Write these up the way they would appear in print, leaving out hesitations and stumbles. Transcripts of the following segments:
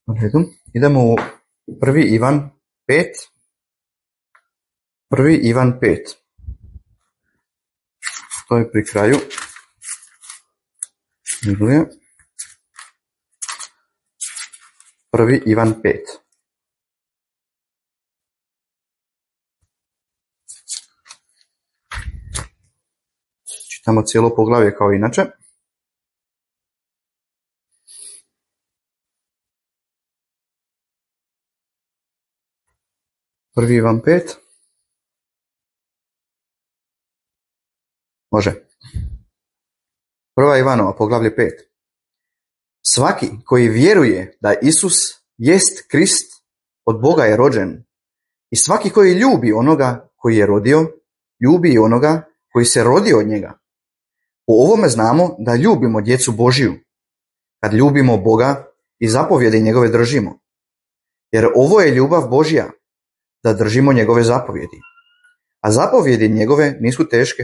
U redu. Idemo u 1. Ivan 5. 1. Ivan 5. To je pri kraju Biblije. 1. Ivan 5. Čitamo cijelo poglavlje kao inače. Prvi Ivan 5. Može. 1. Ivanova, poglavlje 5. Svaki koji vjeruje da Isus jest Krist, od Boga je rođen. I svaki koji ljubi onoga koji je rodio, ljubi i onoga koji se rodio od njega. Po ovome znamo da ljubimo djecu Božiju, kad ljubimo Boga i zapovjede njegove držimo. Jer ovo je ljubav Božja, da držimo njegove zapovjedi. A zapovjedi njegove nisu teške.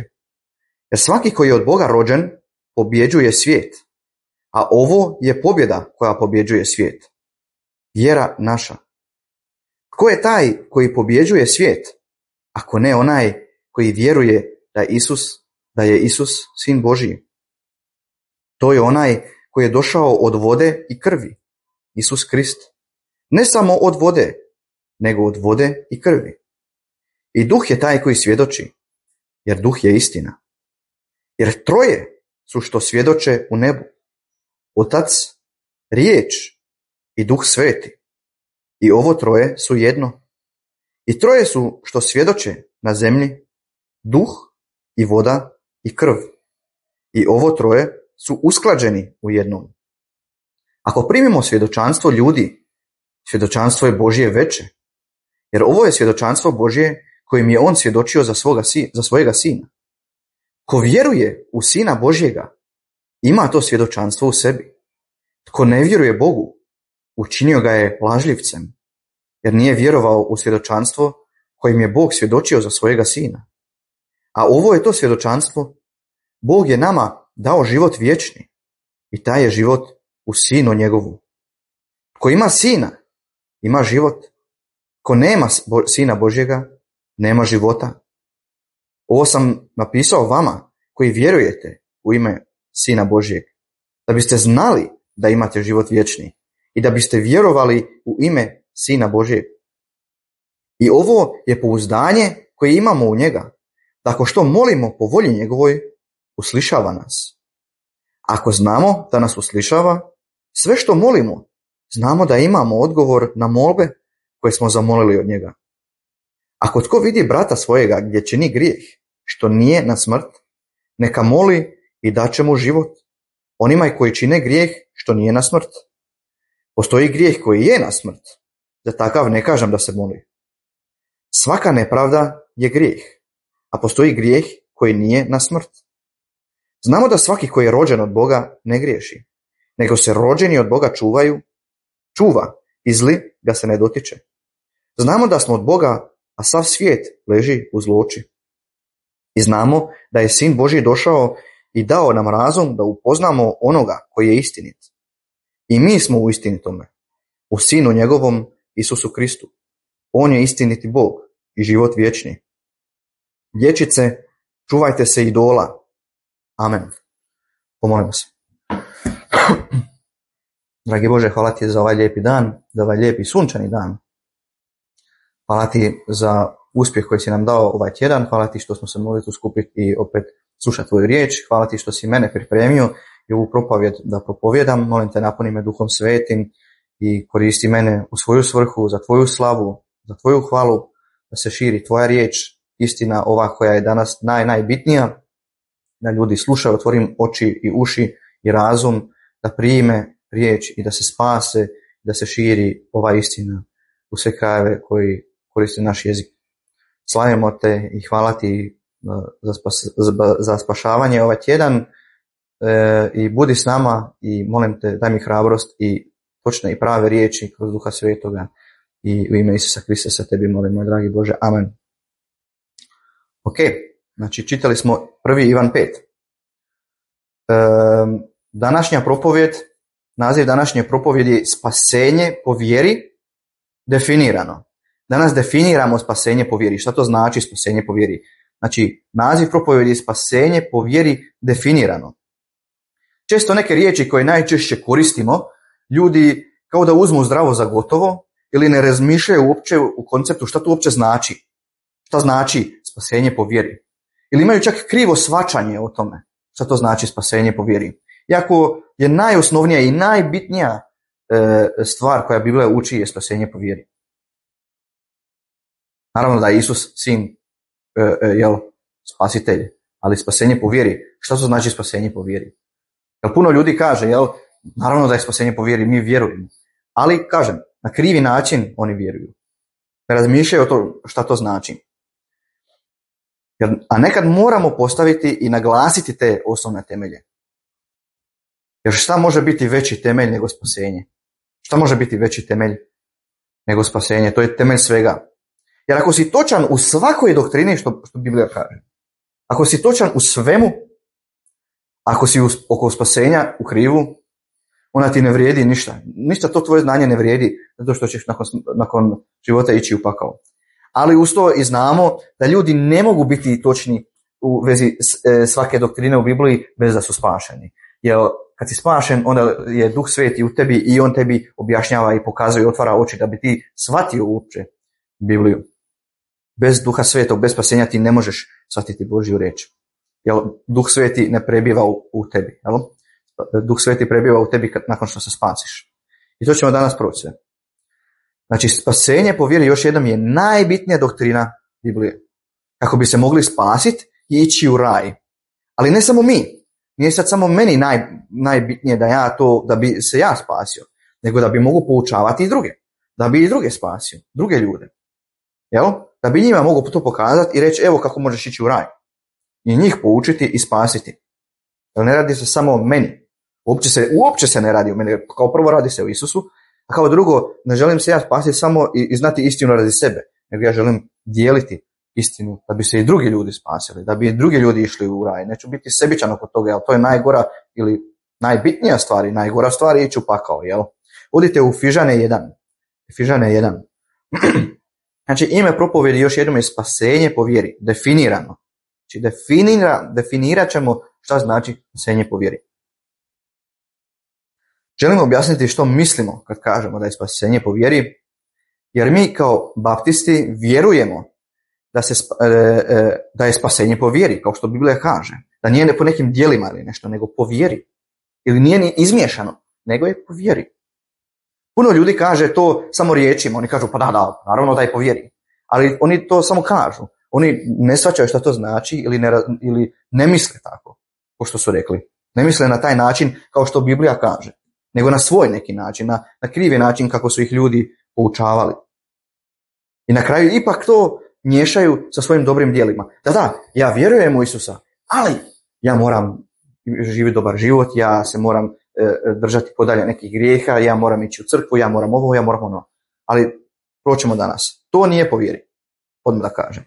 Jer svaki koji je od Boga rođen, pobjeđuje svijet. A ovo je pobjeda koja pobjeđuje svijet. Vjera naša. Tko je taj koji pobjeđuje svijet, ako ne onaj koji vjeruje da je Isus sin Božji? To je onaj koji je došao od vode i krvi, Isus Krist. Ne samo od vode, nego od vode i krvi. I duh je taj koji svjedoči, jer duh je istina. Jer troje su što svjedoče u nebu. Otac, riječ i duh sveti. I ovo troje su jedno. I troje su što svjedoče na zemlji, duh i voda i krv. I ovo troje su usklađeni u jednom. Ako primimo svjedočanstvo ljudi, svjedočanstvo je Božje veće. Jer ovo je svjedočanstvo Božje kojim je on svjedočio za svojega sina. Ko vjeruje u Sina Božjega, ima to svjedočanstvo u sebi. Tko ne vjeruje Bogu, učinio ga je lažljivcem, jer nije vjerovao u svjedočanstvo kojim je Bog svjedočio za svojega sina. A ovo je to svjedočanstvo. Bog je nama dao život vječni i taj je život u Sinu njegovu. Tko ima Sina, ima život. Ko nema Sina Božjega, nema života. Ovo sam napisao vama koji vjerujete u ime Sina Božjeg, da biste znali da imate život vječni i da biste vjerovali u ime Sina Božjeg. I ovo je pouzdanje koje imamo u njega, tako što molimo po volji njegovoj, uslišava nas. Ako znamo da nas uslišava, sve što molimo, znamo da imamo odgovor na molbe koje smo zamolili od njega. Ako tko vidi brata svojega gdje čini grijeh, što nije na smrt, neka moli i daće mu život. Onima koji čine grijeh, što nije na smrt. Postoji grijeh koji je na smrt, za takav ne kažem da se moli. Svaka nepravda je grijeh, a postoji grijeh koji nije na smrt. Znamo da svaki koji je rođen od Boga ne griješi, nego se rođeni od Boga čuva i zli ga se ne dotiče. Znamo da smo od Boga, a sav svijet leži u zloči. I znamo da je Sin Božji došao i dao nam razum da upoznamo onoga koji je istinit. I mi smo u istinitome, u Sinu njegovom Isusu Kristu. On je istiniti Bog i život vječni. Dječice, čuvajte se idola. Amen. Pomolimo se. Dragi Bože, hvala ti za ovaj lijepi dan, za ovaj lijepi sunčani dan. Hvala ti za uspjeh koji si nam dao ovaj tjedan. Hvala ti što smo se mogli tu skupiti i opet slušati tvoju riječ. Hvala ti što si mene pripremio i ovu propovjed da propovjedam. Molim te, napuni me Duhom Svetim i koristi mene u svoju svrhu, za tvoju slavu, za tvoju hvalu, da se širi tvoja riječ, istina ova koja je danas najbitnija, da ljudi slušaju, otvorim oči i uši i razum, da prime riječ i da se spase, da se širi ova istina u sve krajeve koji koriste naš jezik. Slavimo te i hvala ti za spašavanje ovaj tjedan i budi s nama i molim te, daj mi hrabrost i točne i prave riječi kroz Duha Svetoga i u ime Isusa Krista se tebi molim, moj dragi Bože. Amen. Ok, znači čitali smo 1. Ivan 5. Današnja propovjed naziv današnje propovjedi spasenje po vjeri definirano. Danas definiramo spasenje po vjeri. Šta to znači spasenje po vjeri? Znači, naziv propovjedi je spasenje po vjeri definirano. Često neke riječi koje najčešće koristimo, ljudi kao da uzmu zdravo za gotovo ili ne razmišljaju uopće u konceptu šta to uopće znači. Šta znači spasenje po vjeri? Ili imaju čak krivo shvaćanje o tome šta to znači spasenje po vjeri. Iako je najosnovnija i najbitnija stvar koja Biblija uči je spasenje po vjeri. Naravno da je Isus sin spasitelj, ali spasenje po vjeri. Šta to znači spasenje po vjeri? Jer puno ljudi kaže, naravno da je spasenje po vjeri, mi vjerujemo. Ali, kažem, na krivi način oni vjeruju. Ne razmišljaju o to šta to znači. A nekad moramo postaviti i naglasiti te osnovne temelje. Jer šta može biti veći temelj nego spasenje? Šta može biti veći temelj nego spasenje? To je temelj svega. Jer ako si točan u svakoj doktrini što Biblija kaže, ako si točan u svemu, ako si oko spasenja u krivu, ona ti ne vrijedi ništa. Ništa to tvoje znanje ne vrijedi, zato što ćeš nakon života ići u pakao. Ali uz to i znamo da ljudi ne mogu biti točni u vezi svake doktrine u Bibliji bez da su spašeni. Jer kad si spašen, onda je Duh Sveti u tebi i on tebi objašnjava i pokazuje i otvara oči da bi ti shvatio uopće Bibliju. Bez Duha Svetog, bez spasenja ti ne možeš shvatiti Božju riječ. Jer Duh Sveti ne prebiva u tebi. Jel? Duh Sveti prebiva u tebi nakon što se spasiš. I to ćemo danas proći sve. Znači, spasenje po vjeri još jednom je najbitnija doktrina Biblije. Kako bi se mogli spasiti i ići u raj. Ali ne samo mi. Nije sad samo meni najbitnije da bi se ja spasio. Nego da bi mogu poučavati i druge. Da bi i druge spasio. Druge ljude. Jel? Da bi njima mogu to pokazati i reći evo kako možeš ići u raj. I njih poučiti i spasiti. Jer ne radi se samo o meni. Uopće se ne radi o meni. Kao prvo radi se o Isusu. A kao drugo, ne želim se ja spasiti samo i znati istinu radi sebe, nego ja želim dijeliti istinu da bi se i drugi ljudi spasili, da bi i drugi ljudi išli u raj. Neću biti sebičan oko toga, jer to je najgora ili najbitnija stvar i najgora stvar je ići u pakao. Jel? Odite u Fižane 1. Fižane 1. Znači, ime propovjedi još jednom je spasenje po vjeri, definirano. Znači, definirat ćemo šta znači spasenje po vjeri. Želim objasniti što mislimo kad kažemo da je spasenje po vjeri, jer mi kao baptisti vjerujemo da je spasenje po vjeri, kao što Biblija kaže, da nije po nekim djelima ili nešto, nego po vjeri. Ili nije ni izmiješano, nego je po vjeri. Puno ljudi kaže to samo riječima, oni kažu pa da, naravno da je po vjeri. Ali oni to samo kažu, oni ne shvaćaju šta to znači ili ne misle tako, kao što su rekli. Ne misle na taj način kao što Biblija kaže, nego na svoj neki način, na krivi način kako su ih ljudi poučavali. I na kraju ipak to miješaju sa svojim dobrim djelima. Da, ja vjerujem u Isusa, ali ja moram živjeti dobar život, ja se moram držati podalje nekih grijeha, ja moram ići u crkvu, ja moram ovo, ja moram ono. Ali proćemo danas. To nije po vjeri, odmah da kažem.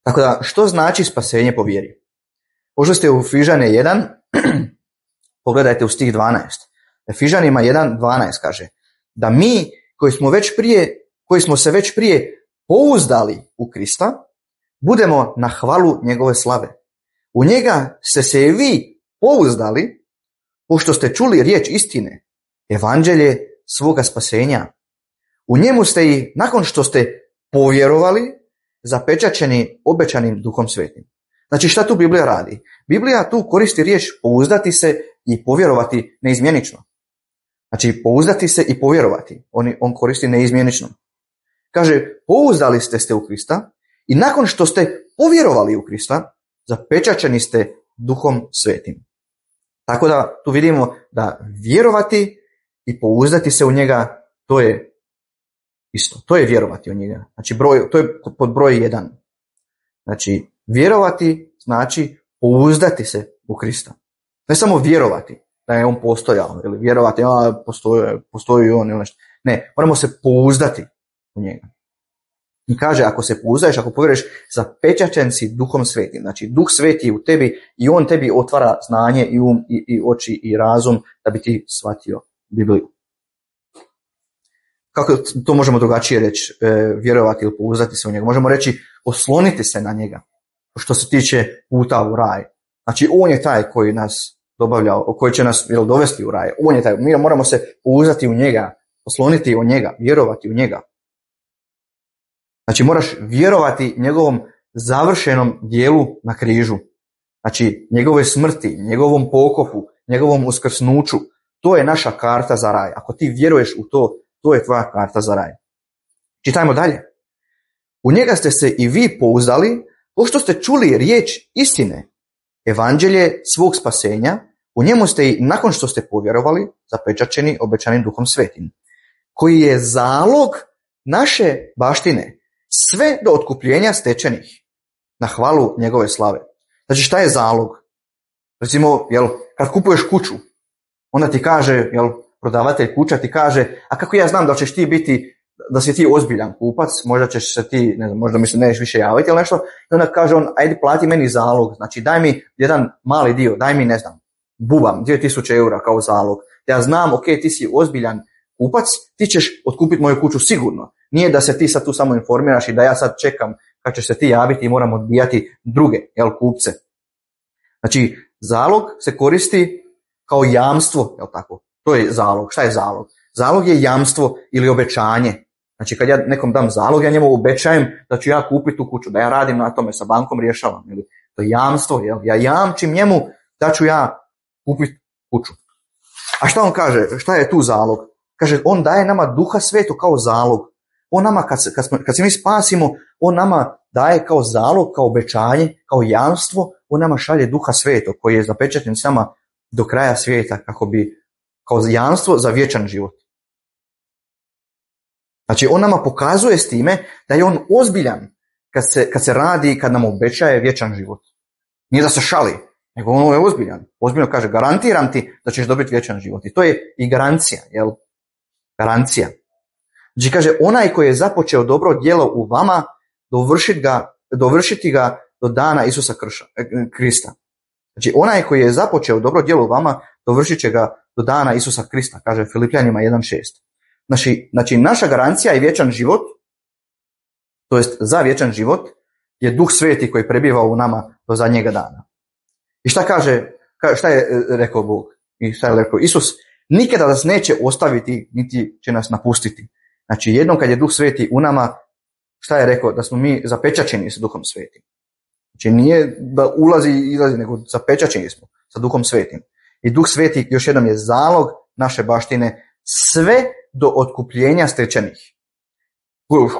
Tako da, što znači spasenje po vjeri? Možda ste u Fižane 1, pogledajte u stih 12. Fižanima 1:12 kaže da mi koji smo se već prije pouzdali u Krista, budemo na hvalu njegove slave. U njega ste se i vi pouzdali, pošto ste čuli riječ istine, evanđelje svoga spasenja. U njemu ste i, nakon što ste povjerovali, zapečaćeni obećanim Duhom Svetim. Znači, šta tu Biblija radi? Biblija tu koristi riječ pouzdati se i povjerovati neizmjenično. Znači, pouzdati se i povjerovati. On koristi neizmjenično. Kaže, pouzdali ste u Krista i nakon što ste povjerovali u Krista, zapečaćeni ste Duhom Svetim. Tako da tu vidimo da vjerovati i pouzdati se u njega, to je isto. To je vjerovati u njega. Znači, to je pod broj 1. Znači, vjerovati znači pouzdati se u Krista. Ne samo vjerovati da je on postojao, ili vjerovati postoji on ili nešto. Ne, moramo se pouzdati u njega. I kaže, ako se pouzdaješ, ako povjeruješ, zapečaćen si Duhom Svetim. Znači, Duh Sveti je u tebi i on tebi otvara znanje i um i oči i razum da bi ti shvatio Bibliju. Kako to možemo drugačije reći, vjerovati ili pouzdati se u njega? Možemo reći, osloniti se na njega, što se tiče puta u raj. Znači, on je taj koji nas dobavljao, koji će nas dovesti u raj. On je taj, mi moramo se pouzdati u njega, osloniti u njega, vjerovati u njega. Znači, moraš vjerovati njegovom završenom dijelu na križu. Znači, njegove smrti, njegovom pokopu, njegovom uskrsnuću. To je naša karta za raj. Ako ti vjeruješ u to, to je tvoja karta za raj. Čitajmo dalje. U njega ste se i vi pouzdali, pošto ste čuli riječ istine, evanđelje svog spasenja, u njemu ste i nakon što ste povjerovali, zapečaćeni obećanim Duhom Svetim, koji je zalog naše baštine, sve do otkupljenja stečenih, na hvalu njegove slave. Znači, šta je zalog? Recimo, kad kupuješ kuću, onda ti kaže, prodavatelj kuća ti kaže, a kako ja znam da ćeš ti biti, da si ti ozbiljan kupac, možda ćeš se ti, ne znam, možda mi se nećeš više javiti ili nešto, i onda kaže on, ajde plati meni zalog, znači daj mi jedan mali dio, daj mi, ne znam, bubam, 2000 eura kao zalog. Ja znam, ok, ti si ozbiljan kupac, ti ćeš otkupiti moju kuću sigurno. Nije da se ti sad tu samo informiraš i da ja sad čekam kad ćeš se ti javiti i moram odbijati druge, kupce. Znači, zalog se koristi kao jamstvo, tako? To je zalog. Šta je zalog? Zalog je jamstvo ili obećanje. Znači, kad ja nekom dam zalog, ja njemu obećajem da ću ja kupiti tu kuću, da ja radim na tome, sa bankom rješavam. To je jamstvo, ja jamčim njemu da ću ja kupiti kuću. A šta on kaže? Šta je tu zalog? Kaže, on daje nama Duha Svetu kao zalog. On nama, kad se mi spasimo, on nama daje kao zalog, kao obećanje, kao jamstvo, on nama šalje Duha Svetog koji je zapečaćen s nama do kraja svijeta kako bi, kao jamstvo za vječan život. Znači, on nama pokazuje s time da je on ozbiljan kad se radi, kad nam obećaje vječan život. Nije da se šali, nego on je ozbiljan. Ozbiljno kaže, garantiram ti da ćeš dobiti vječan život. I to je i garancija, Garancija. Znači, kaže, onaj koji je započeo dobro djelo u vama, dovršiti ga do dana Isusa Krista. Znači, onaj koji je započeo dobro djelo u vama, dovršit će ga do dana Isusa Krista, kaže Filipljanima 1.6. Znači, naša garancija je vječan život, to jest za vječan život, je Duh Sveti koji prebiva u nama do zadnjega dana. I šta je rekao Bog? I šta je rekao Isus? Nikada nas neće ostaviti, niti će nas napustiti. Znači, jednom kad je Duh Sveti u nama, šta je rekao? Da smo mi zapečaćeni sa Duhom Svetim. Znači, nije da ulazi i izlazi, nego zapečaćeni smo sa Duhom Svetim. I Duh Sveti, još jednom, je zalog naše baštine, sve do otkupljenja stečenih.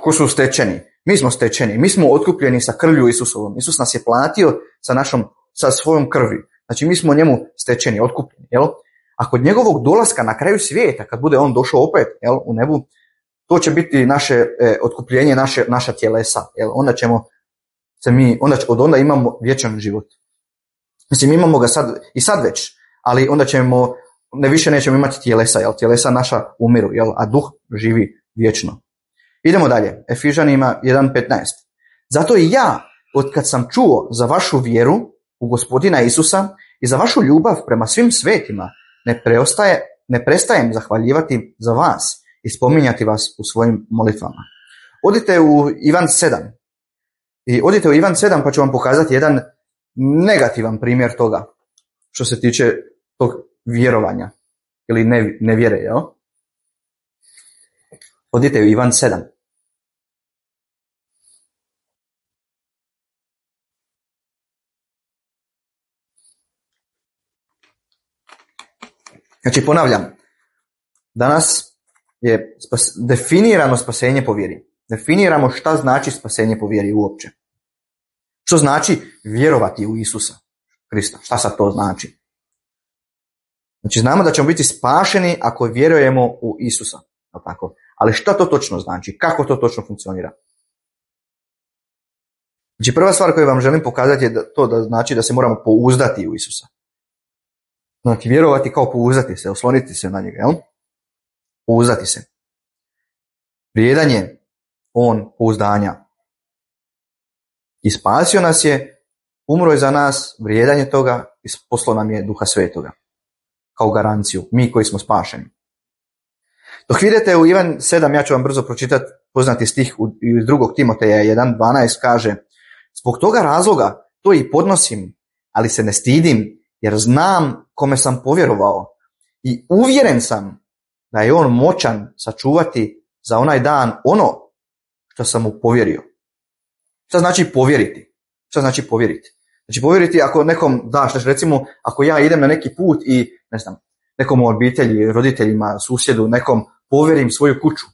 Ko su stečeni? Mi smo stečeni, mi smo otkupljeni sa krvlju Isusovom. Isus nas je platio sa svojom krvi. Znači, mi smo njemu stečeni, otkupljeni. A kod njegovog dolaska na kraju svijeta, kad bude on došao opet u nebu, to će biti naše otkupljenje, naša tjelesa. Onda ćemo onda imamo vječan život. Mislim, imamo ga sad već, ali onda više nećemo imati tjelesa, tjelesa naša umiru, a duh živi vječno. Idemo dalje, Efežanima 1.15. Zato i ja, otkad sam čuo za vašu vjeru u Gospodina Isusa i za vašu ljubav prema svim svetima, ne prestajem zahvaljivati za vas i spominjati vas u svojim molitvama. Odite u Ivan 7. I odite u Ivan 7 pa ću vam pokazati jedan negativan primjer toga što se tiče tog vjerovanja ili nevjere. Odite u Ivan 7. Znači, ponavljam, danas je definirano spasenje po vjeri. Definiramo šta znači spasenje po vjeri uopće. Što znači vjerovati u Isusa Krista? Šta sad to znači? Znači, znamo da ćemo biti spašeni ako vjerujemo u Isusa. Tako? Ali šta to točno znači? Kako to točno funkcionira? Znači, prva stvar koju vam želim pokazati je da znači da se moramo pouzdati u Isusa. Znači, vjerovati kao pouzdati se, osloniti se na njega, Pouzdati se. Vrijedan je on pouzdanja. I spasio nas je, umro je za nas, vrijedan je toga i poslao nam je Duha Svetoga kao garanciju, mi koji smo spašeni. Dok vidite u Ivan 7, ja ću vam brzo pročitati poznati stih iz 2. Timoteja 1.12 kaže: zbog toga razloga to i podnosim, ali se ne stidim, jer znam kome sam povjerovao i uvjeren sam da je on moćan sačuvati za onaj dan ono što sam mu povjerio. Šta znači povjeriti? Šta znači povjeriti? Znači povjeriti ako nekom daš, recimo ako ja idem na neki put i ne znam, nekom u obitelji, roditeljima, susjedu, nekom povjerim svoju kuću.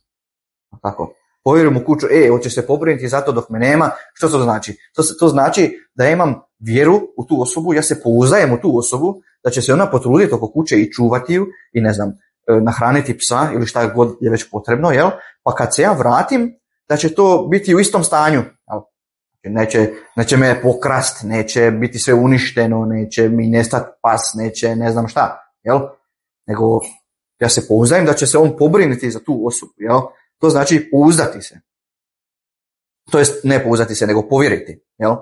Tako. Povjerim mu kuću, hoćeš se pobrinuti zato dok me nema. Što to znači? To znači da ja imam vjeru u tu osobu, ja se pouzdajem u tu osobu, da će se ona potruditi oko kuće i čuvati ju i ne znam, nahraniti psa ili šta god je već potrebno, jel? Pa kad se ja vratim, da će to biti u istom stanju, jel? Neće me pokrast, neće biti sve uništeno, neće mi nestati pas, neće ne znam šta, jel? Nego ja se pouzdajem da će se on pobrinuti za tu osobu, jel? To znači pouzdati se. To jest ne pouzdati se, nego povjeriti, jel?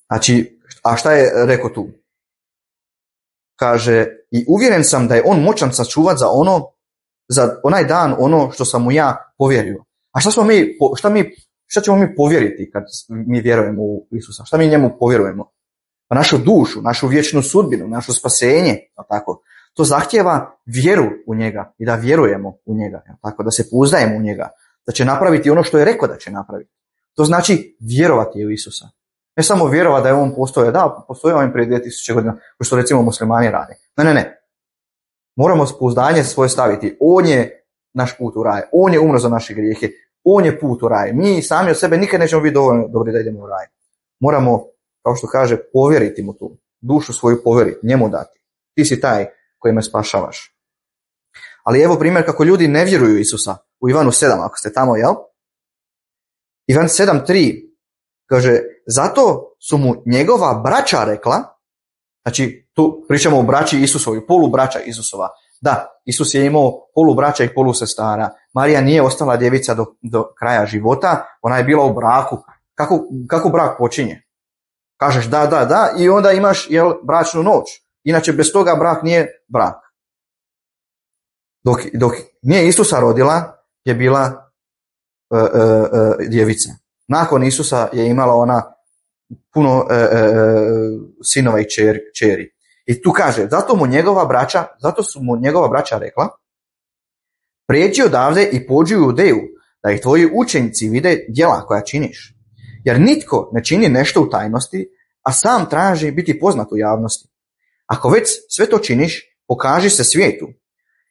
Znači, a šta je rekao tu? Kaže, i uvjeren sam da je on moćan sačuvati za onaj dan ono što sam mu ja povjerio. A šta ćemo mi povjeriti kad mi vjerujemo u Isusa? Šta mi njemu povjerujemo? Pa našu dušu, našu vječnu sudbinu, naše spasenje, tako. To zahtijeva vjeru u njega i da vjerujemo u njega, tako, da se pouzdajemo u njega, da će napraviti ono što je rekao da će napraviti. To znači vjerovati u Isusa. Ne samo vjerovati da je on postojao, da, postojao on prije 2000 godina, kao što recimo muslimani rade. Ne. Moramo pouzdanje svoje staviti. On je naš put u raj, on je umro za naše grijehe, on je put u raj. Mi sami od sebe nikad nećemo biti dovoljno dobri da idemo u raj. Moramo, kao što kaže, povjeriti mu tu. Dušu svoju povjeriti, njemu dati. Ti si taj koji me spašavaš. Ali evo primjer kako ljudi ne vjeruju Isusa. U Ivanu 7, ako ste tamo, jel? Ivan 7.3 kaže, zato su mu njegova braća rekla, znači tu pričamo o braći Isusovi, polubraća Isusova. Da, Isus je imao polubraća i polusestara. Marija nije ostala djevica do kraja života, ona je bila u braku. Kako brak počinje? Kažeš da i onda imaš bračnu noć. Inače bez toga brak nije brak. Dok nije Isusa rodila je bila djevica. Nakon Isusa je imala ona puno sinova i kćeri. I tu kaže, zato su mu njegova braća rekla, prijeđi odavde i pođi u Judeju, da ih tvoji učenici vide djela koja činiš. Jer nitko ne čini nešto u tajnosti, a sam traži biti poznat u javnosti. Ako već sve to činiš, pokaži se svijetu,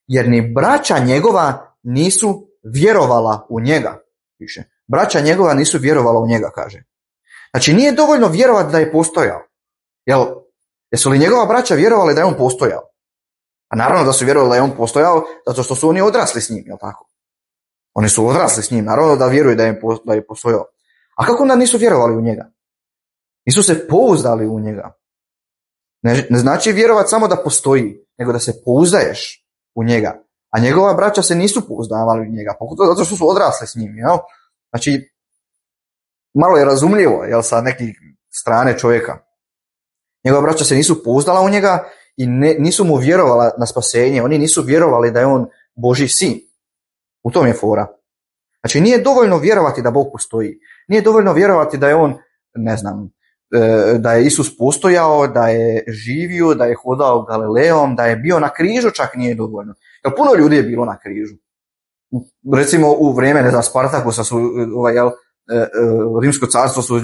jer ni braća njegova nisu vjerovala u njega, piše. Braća njegova nisu vjerovala u njega, kaže. Znači nije dovoljno vjerovati da je postojao. Jesu li njegova braća vjerovali da je on postojao? A naravno da su vjerovali da je on postojao, zato što su oni odrasli s njim, jel tako? Oni su odrasli s njim, naravno da vjeruju da je postojao. A kako onda nisu vjerovali u njega? Nisu se pouzdali u njega. Ne znači vjerovati samo da postoji, nego da se pouzdaješ u njega. A njegova braća se nisu pouzdavali u njega, pogotovo zato što su odrasli s njim, jel? Znači, malo je razumljivo, jel, sa neke strane čovjeka. Njegova braća se nisu pouzdala u njega i nisu mu vjerovala na spasenje. Oni nisu vjerovali da je on Božji sin. U tom je fora. Znači, nije dovoljno vjerovati da Bog postoji. Nije dovoljno vjerovati da je on, ne znam, da je Isus postojao, da je živio, da je hodao Galileom, da je bio na križu, čak nije dovoljno. Jer puno ljudi je bilo na križu. Recimo u vrijeme, ne znam, Spartakusa su, Rimsko carstvo su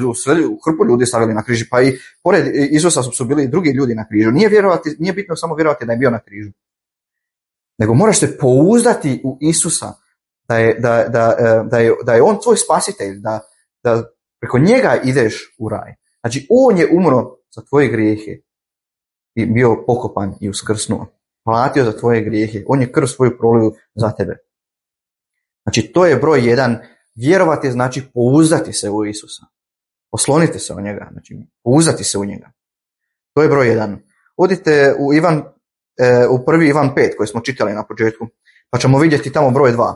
hrpu ljudi stavili na križi, pa i pored Isusa su bili drugi ljudi na križu. Nije bitno samo vjerovati da je bio na križu. Nego moraš se pouzdati u Isusa, da je on tvoj spasitelj, da preko njega ideš u raj. Znači, on je umro za tvoje grijehe i bio pokopan i uskrsnuo. Platio za tvoje grijehe. On je krv svoju prolio za tebe. Znači, to je broj 1. Vjerovati znači pouzdati se u Isusa. Oslonite se o njega. Znači, pouzdati se u njega. To je broj 1. Odite u prvi Ivan 5 koji smo čitali na početku, pa ćemo vidjeti tamo broj 2.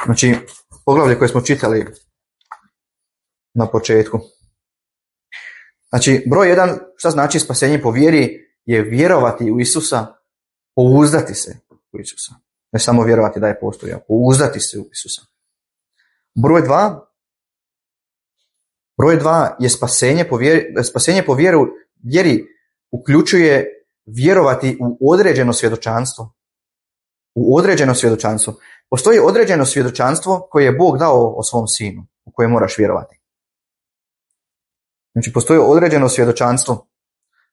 Znači, poglavlje koje smo čitali na početku. Znači, broj 1, šta znači spasenje po vjeri, je vjerovati u Isusa, pouzdati se u Isusa. Ne samo vjerovati da je postojao, pouzdati se u Isusa. Broj 2 je spasenje po vjeri uključuje vjerovati u određeno svjedočanstvo. U određeno svjedočanstvo. Postoji određeno svjedočanstvo koje je Bog dao o svom sinu, u koje moraš vjerovati. Znači, postoji određeno svjedočanstvo.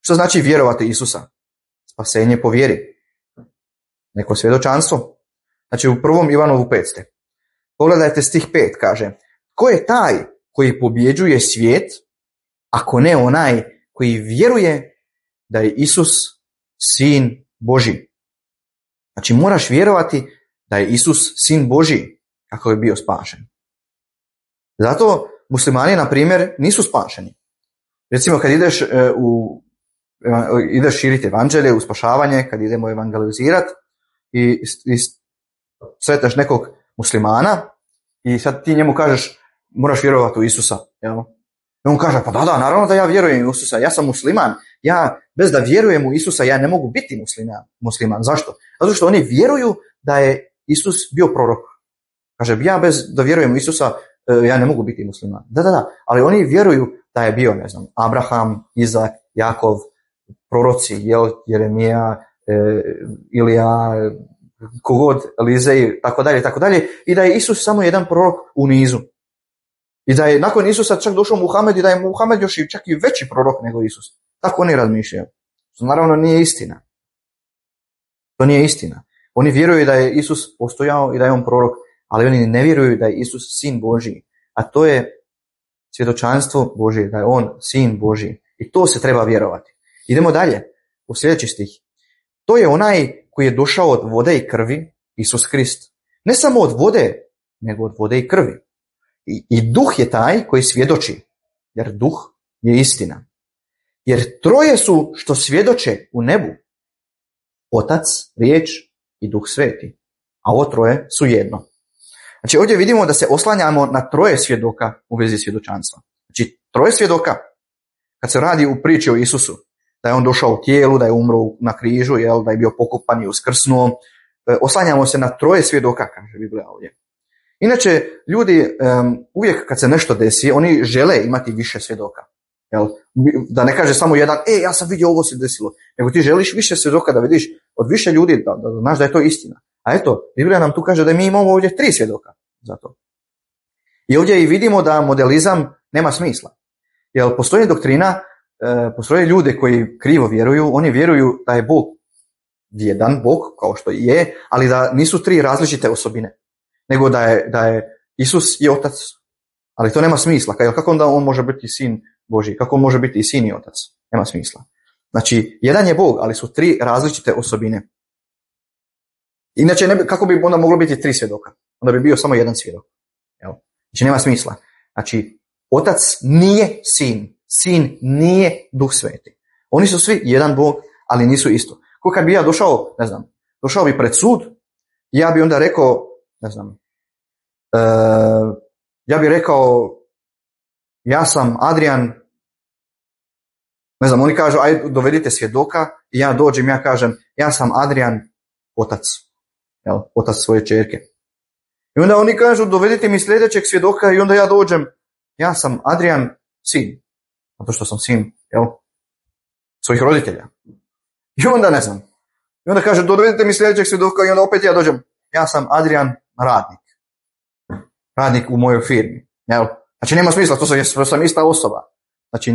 Što znači vjerovati Isusa? Spasenje po vjeri. Neko svjedočanstvo. Znači, u 1. Ivanovu 5. Pogledajte stih 5, kaže: ko je taj koji pobjeđuje svijet, ako ne onaj koji vjeruje da je Isus sin Božji? Znači, moraš vjerovati da je Isus sin Božji kako je bio spašen. Zato muslimani, na primjer, nisu spašeni. Recimo, kad ideš širiti evanđelje, u spašavanje, kad idemo evangelizirati i sretneš nekog muslimana i sad ti njemu kažeš moraš vjerovati u Isusa. Jel? I on kaže, pa da, naravno da ja vjerujem u Isusa, ja sam musliman. Ja bez da vjerujem u Isusa ja ne mogu biti musliman. Zašto? Zato što oni vjeruju da je Isus bio prorok. Kaže, ja bez da vjerujem u Isusa ja ne mogu biti musliman. Da, ali oni vjeruju da je bio, ne znam, Abraham, Izak, Jakov, proroci, Jeremija, Ilija, kogod, Elizej, tako dalje, i da je Isus samo jedan prorok u nizu. I da je nakon Isusa čak došao Muhamed i da je Muhamed još čak i veći prorok nego Isus. Tako oni razmišljaju. To naravno nije istina. To nije istina. Oni vjeruju da je Isus postojao i da je on prorok, ali oni ne vjeruju da je Isus sin Božji. A to je svjedočanstvo Božje, da je on sin Božji. I to se treba vjerovati. Idemo dalje, u sljedeći stih. To je onaj koji je došao od vode i krvi, Isus Krist. Ne samo od vode, nego od vode i krvi. I duh je taj koji svjedoči, jer duh je istina. Jer troje su što svjedoče u nebu. Otac, riječ i Duh Sveti. A ovo troje su jedno. Znači, ovdje vidimo da se oslanjamo na troje svjedoka u vezi svjedočanstva. Znači, troje svjedoka, kad se radi u priči o Isusu, da je on došao u tijelu, da je umro na križu, da je bio pokopan i uskrsnuo, oslanjamo se na troje svjedoka, kaže Biblija ovdje. Inače, ljudi uvijek kad se nešto desi, oni žele imati više svjedoka. Da ne kaže samo jedan, ja sam vidio ovo se desilo, nego ti želiš više svjedoka da vidiš od više ljudi, da znaš da je to istina. A eto, Biblija nam tu kaže da mi imamo ovdje 3 svjedoka za to. I ovdje i vidimo da modelizam nema smisla. Jer postoji doktrina, postoje ljude koji krivo vjeruju, oni vjeruju da je Bog jedan Bog, kao što je, ali da nisu 3 različite osobine, nego da je Isus i Otac. Ali to nema smisla. Kako onda on može biti sin Božji? Kako on može biti i sin i Otac? Nema smisla. Znači, jedan je Bog, ali su 3 različite osobine. Inače, kako bi onda moglo biti 3 svjedoka? Onda bi bio samo jedan svjedok. Znači, nema smisla. Znači, Otac nije sin. Sin nije Duh Sveti. Oni su svi jedan Bog, ali nisu isto. Ko kad bi ja došao bi pred sud, ja bi onda rekao, ja bih rekao, ja sam Adrian, oni kažu, ajde dovedite svjedoka, i ja dođem, ja kažem, ja sam Adrian, otac, otac svoje ćerke. I onda oni kažu, dovedite mi sljedećeg svjedoka, i onda ja dođem, ja sam Adrian, sin, zato što sam sin, svojih roditelja. I onda i onda kaže, dovedite mi sljedećeg svjedoka, i onda opet ja dođem, ja sam Adrian, radnik u mojoj firmi. Znači, nema smisla, to sam ista osoba. Znači,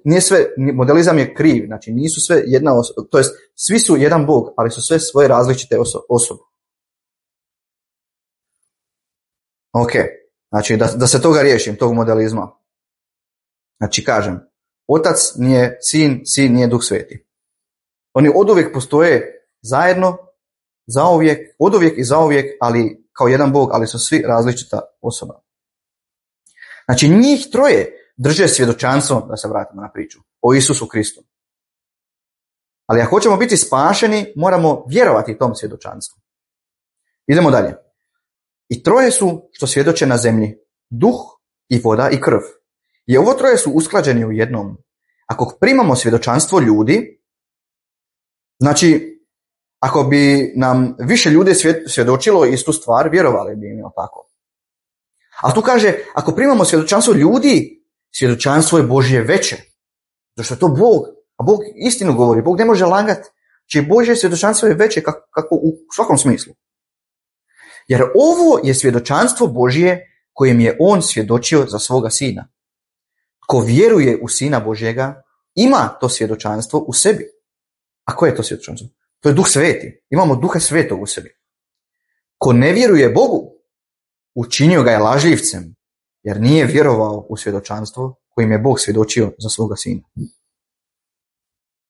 nije sve, modelizam je kriv, znači nisu sve jedna osoba, to jest svi su jedan Bog, ali su sve svoje različite osobe. Ok, znači da se toga riješim, tog modelizma. Znači, kažem, Otac nije sin, sin nije Duh Sveti. Oni oduvijek postoje zajedno, oduvijek i zauvijek, ali kao jedan Bog, ali su svi različita osoba. Znači, njih troje drže svjedočanstvo, da se vratimo na priču, o Isusu Kristu. Ali ako hoćemo biti spašeni, moramo vjerovati tom svjedočanstvu. Idemo dalje. I troje su što svjedoče na zemlji, duh i voda i krv. I ovo troje su usklađeni u jednom. Ako primamo svjedočanstvo ljudi, znači, ako bi nam više ljudi svjedočilo istu stvar, vjerovali bi im, tako. A tu kaže, ako primamo svjedočanstvo ljudi, svjedočanstvo je Božje veće. Zašto je to Bog? A Bog istinu govori, Bog ne može lagati. Či Božje svjedočanstvo je veće kako u svakom smislu. Jer ovo je svjedočanstvo Božje kojem je on svjedočio za svoga sina. Ko vjeruje u Sina Božjega, ima to svjedočanstvo u sebi. A koje je to svjedočanstvo? To je Duh Sveti. Imamo Duha Svetog u sebi. Ko ne vjeruje Bogu, učinio ga je lažljivcem, jer nije vjerovao u svjedočanstvo kojim je Bog svjedočio za svoga sina.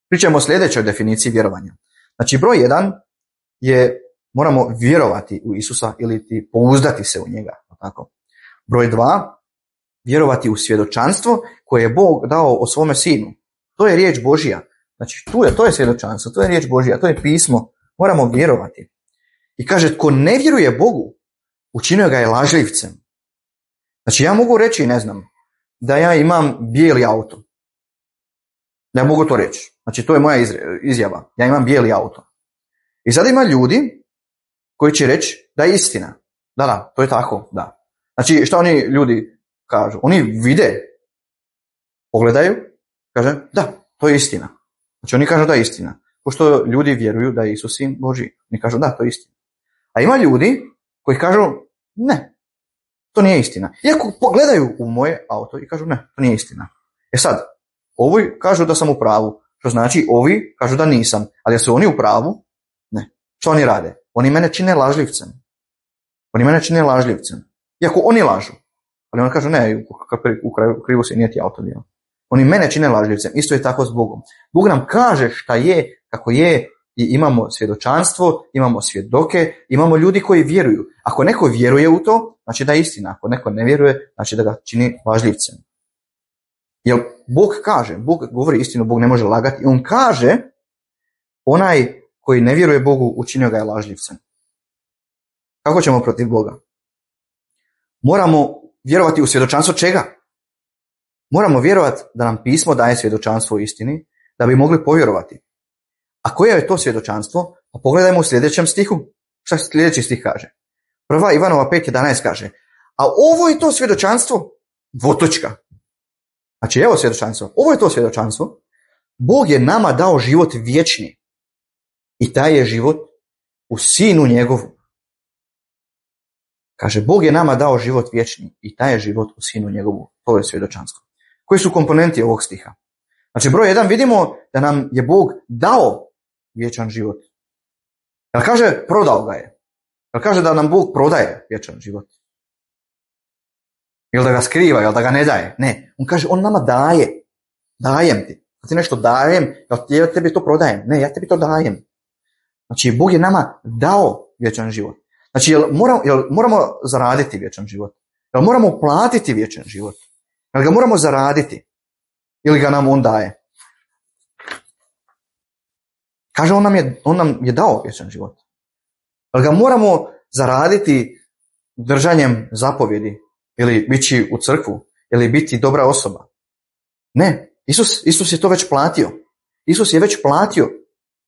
Pričamo o sljedećoj definiciji vjerovanja. Znači, broj 1 je moramo vjerovati u Isusa ili ti pouzdati se u njega. Tako. Broj 2, vjerovati u svjedočanstvo koje je Bog dao o svome sinu. To je riječ Božja. Znači, to je svjedočanstvo, to je riječ Božja, to je pismo. Moramo vjerovati. I kaže, tko ne vjeruje Bogu, učinio ga je lažljivcem. Znači, ja mogu reći, ne znam, da ja imam bijeli auto. Ja mogu to reći. Znači, to je moja izjava. Ja imam bijeli auto. I sad ima ljudi koji će reći da je istina. Da, to je tako, da. Znači, šta oni ljudi kažu? Oni vide, pogledaju, kaže, da, to je istina. Znači, oni kažu da je istina. Pošto ljudi vjeruju da je Isus sin Božji. Oni kažu, da, to je istina. A ima ljudi koji kažu, ne, to nije istina. Iako pogledaju u moje auto i kažu, ne, to nije istina. Sad, ovi kažu da sam u pravu, što znači ovi kažu da nisam. Ali da su oni u pravu, ne. Što oni rade? Oni mene čine lažljivcem. Iako oni lažu. Ali oni kažu, ne, u krivu se nije ti auto bio. Oni mene čine lažljivcem. Isto je tako s Bogom. Bog nam kaže šta je, kako je, i imamo svjedočanstvo, imamo svjedoke, imamo ljudi koji vjeruju. Ako neko vjeruje u to, znači da je istina. Ako neko ne vjeruje, znači da ga čini lažljivcem. Jer Bog kaže, Bog govori istinu, Bog ne može lagati. I on kaže, onaj koji ne vjeruje Bogu, učinio ga je lažljivcem. Kako ćemo protiv Boga? Moramo vjerovati u svjedočanstvo čega? Moramo vjerovati da nam pismo daje svjedočanstvo o istini, da bi mogli povjerovati. A koje je to svjedočanstvo? Pa pogledajmo u sljedećem stihu. Šta sljedeći stih kaže? 1. Ivanova 5.11 kaže, a ovo je to svjedočanstvo, dvotočka. Znači, evo svjedočanstvo. Ovo je to svjedočanstvo. Bog je nama dao život vječni. I taj je život u Sinu njegovu. Kaže, Bog je nama dao život vječni. I taj je život u Sinu njegovu. To je svjedočanstvo. Koji su komponenti ovog stiha? Znači, broj 1 vidimo da nam je Bog dao vječan život. Jel kaže, prodao ga je? Jel kaže da nam Bog prodaje vječan život? Jel da ga skriva, jel da ga ne daje? Ne. On kaže, on nama daje. Dajem ti. Kad ti nešto dajem, ja tebi to prodajem. Ne, ja tebi to dajem. Znači, Bog je nama dao vječan život. Znači, jel moramo zaraditi vječan život? Jel moramo platiti vječan život? Jel ga moramo zaraditi? Ili ga nam on daje? Kaže, on nam je dao vječan život. Jel ga moramo zaraditi držanjem zapovjedi? Ili biti u crkvu? Ili biti dobra osoba? Ne. Isus je to već platio. Isus je već platio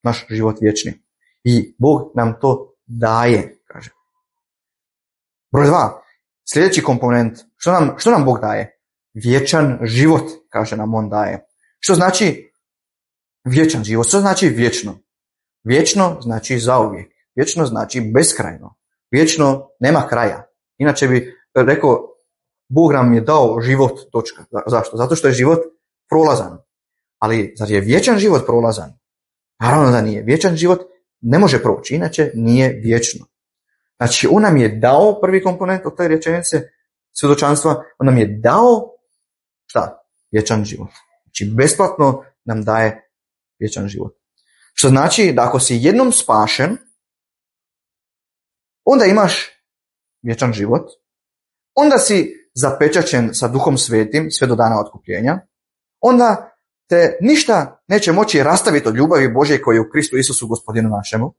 naš život vječni. I Bog nam to daje, kaže. Broj 2. Sljedeći komponent. Što nam Bog daje? Vječan život, kaže nam on daje. Što znači vječan život? Što znači vječno? Vječno znači zauvijek. Vječno znači beskrajno. Vječno nema kraja. Inače bi rekao, Bog nam je dao život, točka. Zašto? Zato što je život prolazan. Ali zar je vječan život prolazan? Naravno da nije. Vječan život ne može proći, inače nije vječno. Znači, on nam je dao, prvi komponent od te rečenice svjedočanstva, on nam je dao, šta? Vječan život. Znači, besplatno nam daje vječan život. Što znači da ako si jednom spašen, onda imaš vječan život, onda si zapečaćen sa Duhom Svetim sve do dana otkupljenja, onda te ništa neće moći rastaviti od ljubavi Božje koja je u Kristu Isusu gospodinu našemu.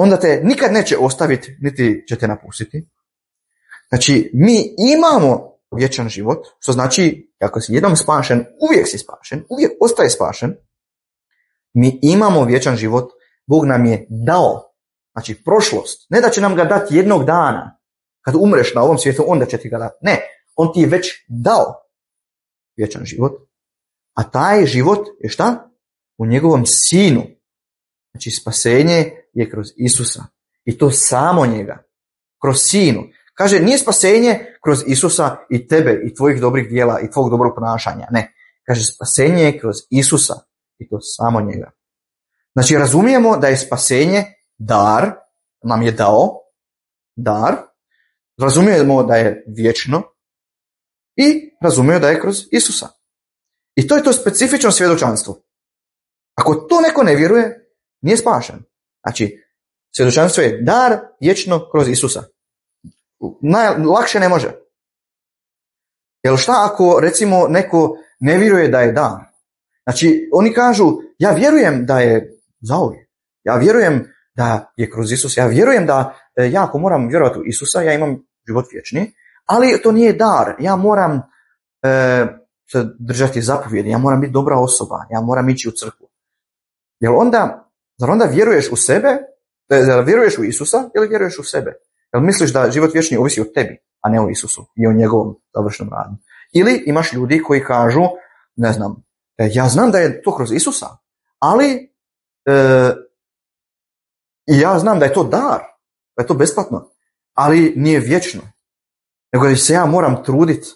onda te nikad neće ostaviti, niti će te napustiti. Znači, mi imamo vječan život, što znači, ako si jednom spašen, uvijek si spašen, uvijek ostaje spašen. Mi imamo vječan život, Bog nam je dao, znači prošlost. Ne da će nam ga dati jednog dana, kad umreš na ovom svijetu, onda će ti ga dati. Ne, on ti je već dao vječan život, a taj život je šta? U njegovom sinu. Znači, spasenje je kroz Isusa. I to samo njega. Kroz sinu. Kaže, nije spasenje kroz Isusa i tebe, i tvojih dobrih dijela, i tvojeg dobrog ponašanja. Ne. Kaže, spasenje je kroz Isusa. I to samo njega. Znači, razumijemo da je spasenje dar, nam je dao, dar. Razumijemo da je vječno. I razumijemo da je kroz Isusa. I to je to specifično svjedočanstvo. Ako to neko ne vjeruje, nije spašen. Znači, svjedočanstvo je dar vječno kroz Isusa. Najlakše ne može. Jer šta ako, recimo, neko ne vjeruje da je dar? Znači, oni kažu, ja vjerujem da je zauvijek. Ja vjerujem da je kroz Isus. Ja vjerujem da ja ako moram vjerovati u Isusa, ja imam život vječni, ali to nije dar. Ja moram se držati zapovjedi, ja moram biti dobra osoba, ja moram ići u crkvu. Zar onda vjeruješ u sebe, zar vjeruješ u Isusa ili vjeruješ u sebe? Jel misliš da život vječni ovisi o tebi, a ne o Isusu i o njegovom završnom radu? Ili imaš ljudi koji kažu, ne znam, ja znam da je to kroz Isusa, ali ja znam da je to dar, da je to besplatno, ali nije vječno. Nego da se ja moram truditi.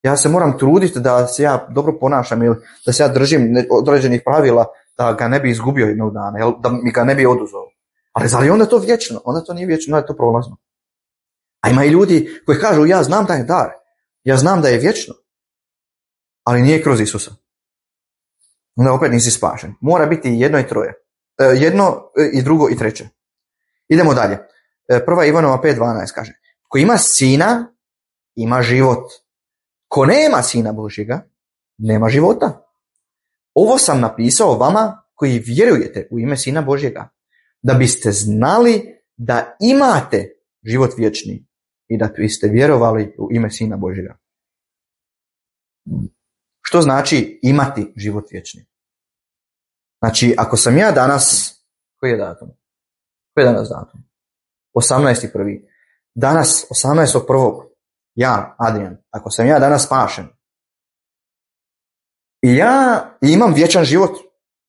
Ja se moram truditi da se ja dobro ponašam ili da se ja držim određenih pravila da ga ne bi izgubio jednog dana, da mi ga ne bi oduzeo. Ali zar je onda to vječno? Onda to nije vječno, onda je to prolazno. A ima i ljudi koji kažu, ja znam da je dar, ja znam da je vječno, ali nije kroz Isusa. Onda opet nisi spašen. Mora biti jedno i troje. Jedno i drugo i treće. Idemo dalje. 1. Ivanova 5.12 kaže, ko ima sina, ima život. Ko nema sina Božjega, nema života. Ovo sam napisao vama koji vjerujete u ime sina Božjega, da biste znali da imate život vječni i da biste vjerovali u ime sina Božjega. Što znači imati život vječni? Znači, ako sam ja danas, koji je datum? Koji je danas datum? 18.1. Danas, 18.1. Ja, Adrian, ako sam ja danas spašen i ja imam vječan život,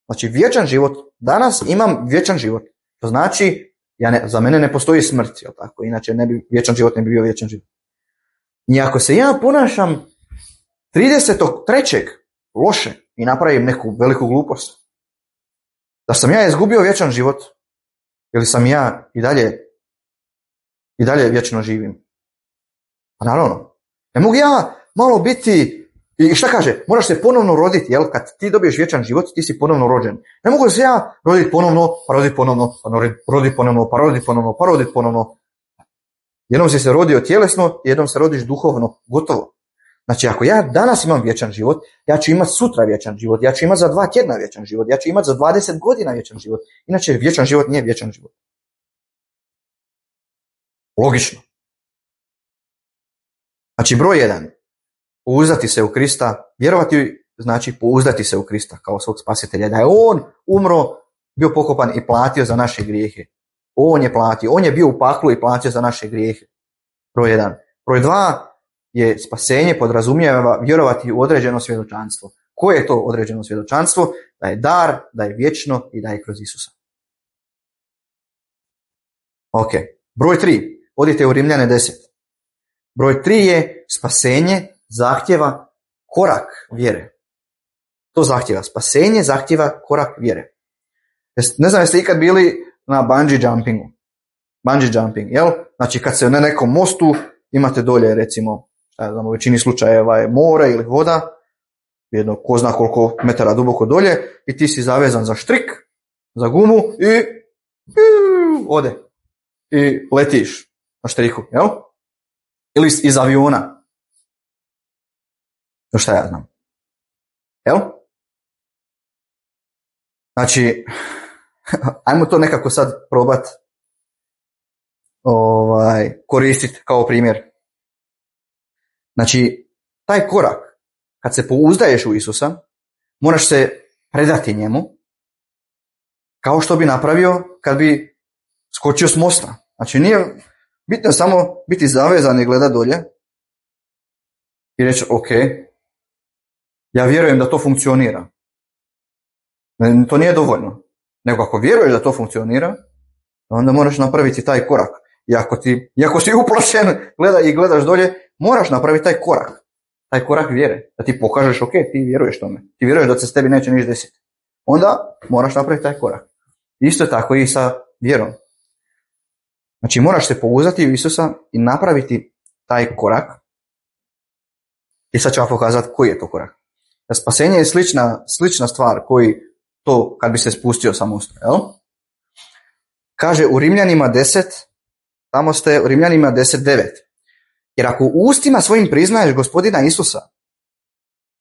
znači vječan život, danas imam vječan život, to znači za mene ne postoji smrt, jel tako? Inače vječan život ne bi bio vječan život. I ako se ja ponašam 30.3. loše i napravim neku veliku glupost, da sam ja izgubio vječan život ili sam ja i dalje vječno živim. Pa naravno, ne mogu ja malo biti, i šta kaže, moraš se ponovno roditi, jel? Kad ti dobiješ vječan život, ti si ponovno rođen. Ne mogu se ja roditi ponovno, pa roditi ponovno, pa roditi ponovno, pa roditi ponovno, pa roditi ponovno. Jednom si se rodio tjelesno, jednom se rodiš duhovno, gotovo. Znači, ako ja danas imam vječan život, ja ću imati sutra vječan život, ja ću imati za 2 tjedna vječan život, ja ću imati za 20 godina vječan život. Inače, vječan život nije vječan život. Logično. Znači, broj 1. Pouzdati se u Krista. Vjerovati znači pouzdati se u Krista kao svog spasitelja. Da je on umro, bio pokopan i platio za naše grijehe. On je platio. On je bio u paklu i platio za naše grijehe. Broj 1. Broj 2 je spasenje, podrazumijeva vjerovati u određeno svjedočanstvo. Koje je to određeno svjedočanstvo? Da je dar, da je vječno i da je kroz Isusa. Ok. Broj 3. Odite u Rimljane 10. Broj 3 je spasenje zahtjeva korak vjere. To zahtjeva. Spasenje zahtjeva korak vjere. Ne znam jeste ikad bili na bungee jumpingu. Bungee jumping, jel? Znači kad se na nekom mostu imate dolje recimo, u većini slučajeva je more ili voda, jedno ko zna koliko metara duboko dolje i ti si zavezan za štrik, za gumu i ode. I letiš na štriku, jel? Ili iz aviona. No šta ja znam. Jel? Znači, ajmo to nekako sad probat koristiti kao primjer. Znači, taj korak, kad se pouzdaješ u Isusa, moraš se predati njemu, kao što bi napravio kad bi skočio s mosta. Znači, nije bitno samo biti zavezan i gledati dolje i reći, ok, ja vjerujem da to funkcionira. To nije dovoljno. Nego ako vjeruješ da to funkcionira, onda moraš napraviti taj korak. I ako si uplašen i gledaš dolje, moraš napraviti taj korak. Taj korak vjere. Da ti pokažeš, ok, ti vjeruješ tome. Ti vjeruješ da se s tebi neće ništa desiti. Onda moraš napraviti taj korak. Isto je tako i sa vjerom. Znači moraš se pouzdati u Isusa i napraviti taj korak. I sad ću vam pokazati koji je to korak. Da spasenje je slična stvar koji to kad bi se spustio sa mosta. Jel? Kaže u Rimljanima 10, tamo ste u Rimljanima 10:9. Jer ako u ustima svojim priznaješ Gospodina Isusa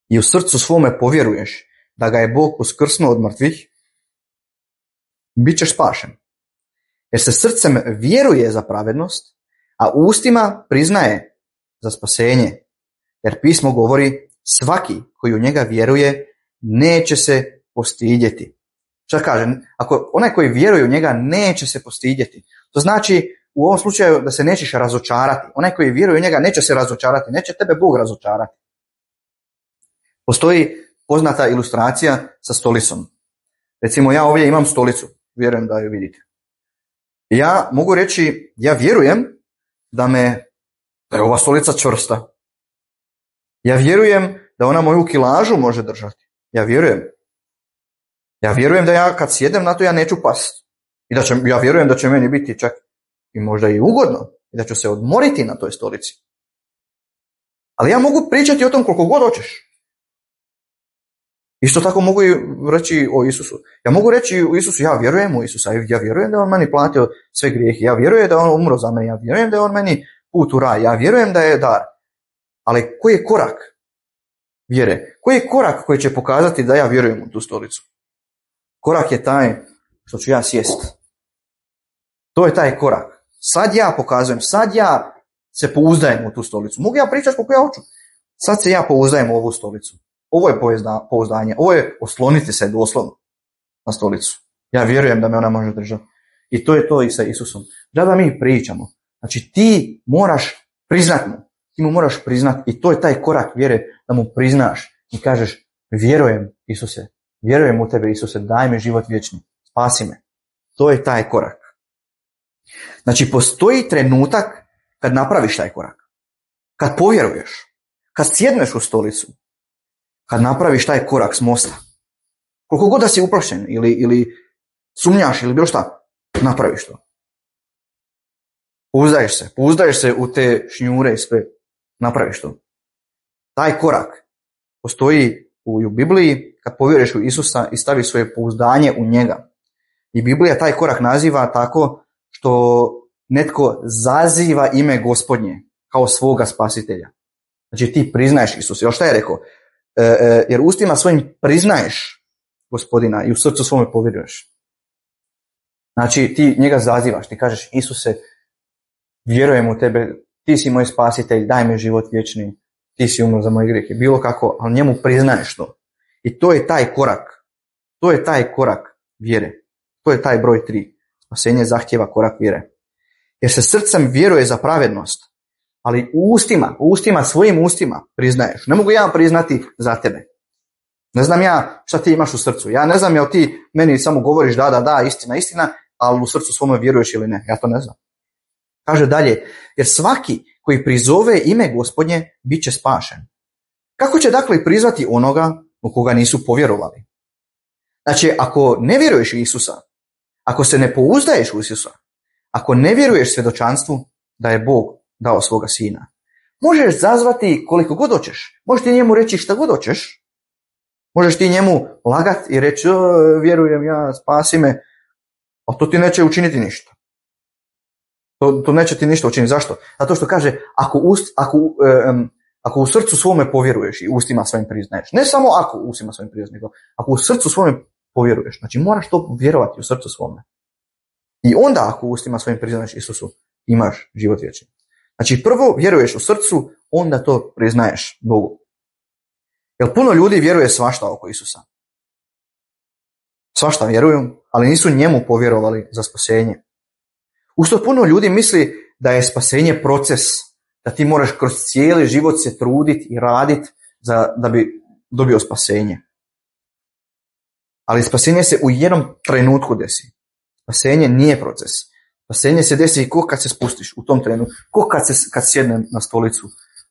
i u srcu svome povjeruješ da ga je Bog uskrsnuo od mrtvih, bit ćeš spašen. Jer se srcem vjeruje za pravednost, a ustima priznaje za spasenje. Jer pismo govori, svaki koji u njega vjeruje neće se postidjeti. Šta kaže? Ako onaj koji vjeruje u njega neće se postidjeti. To znači u ovom slučaju da se nećeš razočarati. Onaj koji vjeruje u njega neće se razočarati. Neće tebe Bog razočarati. Postoji poznata ilustracija sa stolicom. Recimo ja ovdje imam stolicu. Vjerujem da ju vidite. Ja mogu reći, ja vjerujem da je ova stolica čvrsta. Ja vjerujem da ona moju kilažu može držati. Ja vjerujem da ja kad sjedem na to ja neću pasti. Ja vjerujem da će meni biti čak i možda i ugodno. I da ću se odmoriti na toj stolici. Ali ja mogu pričati o tom koliko god hoćeš. Isto tako mogu i reći o Isusu. Ja mogu reći o Isusu, ja vjerujem u Isusa. Ja vjerujem da on meni platio sve grijehe. Ja vjerujem da on umro za mene. Ja vjerujem da je on meni put u raj. Ja vjerujem da je dar. Ali koji je korak vjere? Koji je korak koji će pokazati da ja vjerujem u tu stolicu? Korak je taj što ću ja sjesti. To je taj korak. Sad ja pokazujem, sad ja se pouzdajem u tu stolicu. Mogu ja pričati koliko ja hoću. Sad se ja pouzdajem u ovu stolicu. Ovo je pouzdanje. Ovo je osloniti se doslovno na stolicu. Ja vjerujem da me ona može držati. I to je to i sa Isusom. Da mi pričamo. Znači ti moraš priznat mu. Ti mu moraš priznati i to je taj korak vjere da mu priznaš i kažeš vjerujem Isuse, vjerujem u tebe Isuse, daj mi život vječni, spasi me. To je taj korak. Znači postoji trenutak kad napraviš taj korak, kad povjeruješ, kad sjedneš u stolicu, kad napraviš taj korak s mosta. Koliko god da si uplašen ili sumnjaš ili bilo šta, napraviš to. Pouzdaješ se u te šnjure i sve. Napraviš to. Taj korak postoji u Bibliji kad povjeruješ u Isusa i staviš svoje pouzdanje u njega. I Biblija taj korak naziva tako što netko zaziva ime Gospodnje kao svoga spasitelja. Znači ti priznaješ Isusa. Jel šta je rekao? Jer ustima svojim priznaješ Gospodina i u srcu svome povjeruješ. Znači ti njega zazivaš. Ti kažeš Isuse, vjerujem u tebe, ti si moj spasitelj, daj mi život vječni, ti si umro za moje grijehe. Bilo kako, ali njemu priznaješ to. I to je taj korak. To je taj korak vjere. To je taj broj 3. Spasenje zahtjeva korak vjere. Jer se srcem vjeruje za pravednost, ali svojim ustima priznaješ. Ne mogu ja priznati za tebe. Ne znam ja šta ti imaš u srcu. Ja ne znam jel ti meni samo govoriš da, istina, ali u srcu svome vjeruješ ili ne. Ja to ne znam. Kaže dalje, jer svaki koji prizove ime Gospodnje bit će spašen. Kako će dakle prizvati onoga u koga nisu povjerovali? Znači, ako ne vjeruješ u Isusa, ako se ne pouzdaješ u Isusa, ako ne vjeruješ svjedočanstvu da je Bog dao svoga sina, možeš zazvati koliko god hoćeš. Možeš ti njemu reći šta god hoćeš. Možeš ti njemu lagati i reći vjerujem ja, spasi me, a to ti neće učiniti ništa. To neće ti ništa učiniti. Zašto? Zato što kaže, ako u srcu svome povjeruješ i ustima svojim priznaješ, ne samo ako u ustima svojim priznaješ, nego ako u srcu svome povjeruješ, znači moraš to vjerovati u srcu svome. I onda ako u ustima svojim priznaješ Isusu, imaš život vječni. Znači prvo vjeruješ u srcu, onda to priznaješ Bogu. Jer puno ljudi vjeruje svašta oko Isusa. Svašta vjeruju, ali nisu njemu povjerovali za spasenje. Usto puno ljudi misli da je spasenje proces, da ti moraš kroz cijeli život se truditi i raditi da bi dobio spasenje. Ali spasenje se u jednom trenutku desi. Spasenje nije proces. Spasenje se desi ko kad se spustiš u tom trenutku, ko kad sjedne na stolicu,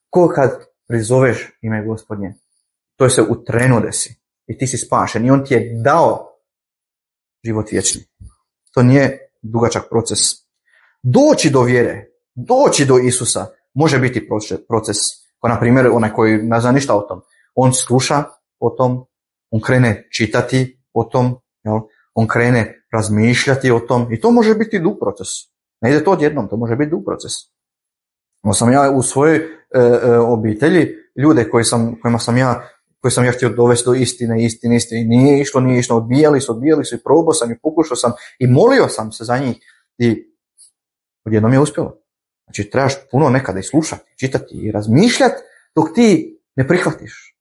ko kad prizoveš ime Gospodnje. To se u trenu desi i ti si spašen i on ti je dao život vječni. To nije dugačak proces. Doći do vjere, doći do Isusa može biti proces. Kao na primjer onaj koji ne zna ništa o tom. On sluša o tom, on krene čitati o tom, jel? On krene razmišljati o tom i to može biti dug proces. Ne ide to odjednom, to može biti dug proces. Sam ja u svojoj obitelji ljude koji sam ja htio dovesti do istine, nije išlo, odbijali su i probao sam i pokušao sam i molio sam se za njih i odjednom je uspjelo. Znači trebaš puno nekada i slušati, čitati i razmišljati dok ti ne prihvatiš.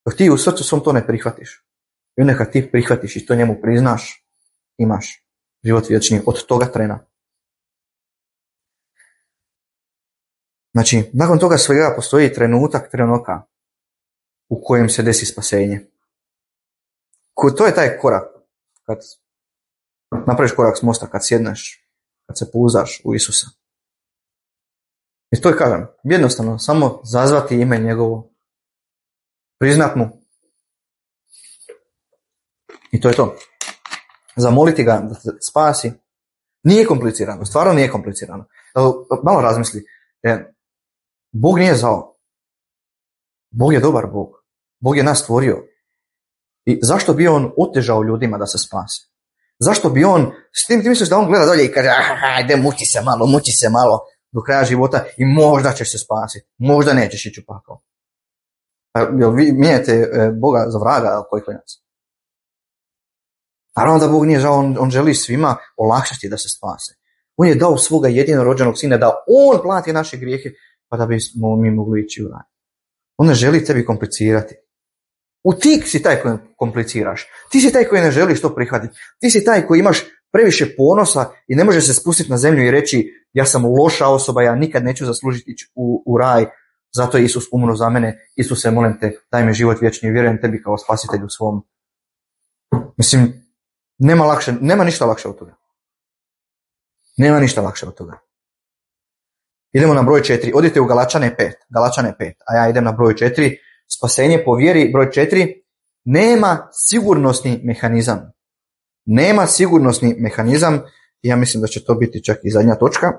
Dok ti u srcu svom to ne prihvatiš. I onda kad ti prihvatiš i to njemu priznaš, imaš život vječni od toga trena. Znači, nakon toga svega postoji trenutka u kojem se desi spasenje. To je taj korak. Kad napraviš korak s mosta, kad sjedneš, kad se pouzdaš u Isusa. I to je, kažem, jednostavno, samo zazvati ime njegovo, priznat mu. I to je to. Zamoliti ga da te spasi. Nije komplicirano, stvarno nije komplicirano. Malo razmisli. Bog nije zao. Bog je dobar Bog. Bog je nas stvorio. I zašto bi on otežao ljudima da se spase? Zašto bi on, s tim ti misliš da on gleda dolje i kaže, ajde, muči se malo do kraja života i možda ćeš se spasiti. Možda nećeš ići u pakao. Jel vi mijenjate Boga za vraga koji klinac? Naravno da Bog nije žao, on želi svima olakšati da se spase. On je dao svoga jedinorođenog sina da on plati naše grijehe pa da bismo mi mogli ići u raj. On ne želi tebi komplicirati. Ti si taj koji kompliciraš. Ti si taj koji ne želiš to prihvatiti. Ti si taj koji imaš previše ponosa i ne može se spustiti na zemlju i reći ja sam loša osoba, ja nikad neću zaslužiti ići u raj, zato je Isus umro za mene. Isuse, molim te, daj mi život vječni i vjerujem tebi kao spasitelju svom. Mislim, nema ništa lakše od toga. Nema ništa lakše od toga. Idemo na broj 4. Odite u Galačane 5, a ja idem na broj 4. Spasenje po vjeri, broj 4. Nema sigurnosni mehanizam. Nema sigurnosni mehanizam. Ja mislim da će to biti čak i zadnja točka.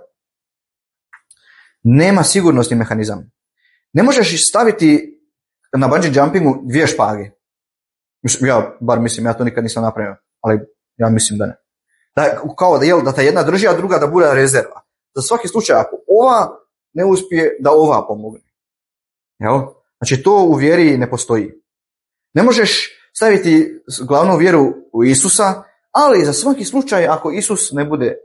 Nema sigurnosni mehanizam. Ne možeš staviti na bungee jumpingu 2 špage. Ja to nikad nisam napravio, ali ja mislim da ne. Da ta jedna drži, a druga da bude rezerva. Za svaki slučaj, ako ova ne uspije, da ova pomogne. Jel? Znači, to u vjeri ne postoji. Ne možeš staviti glavnu vjeru u Isusa, ali za svaki slučaj, ako Isus ne bude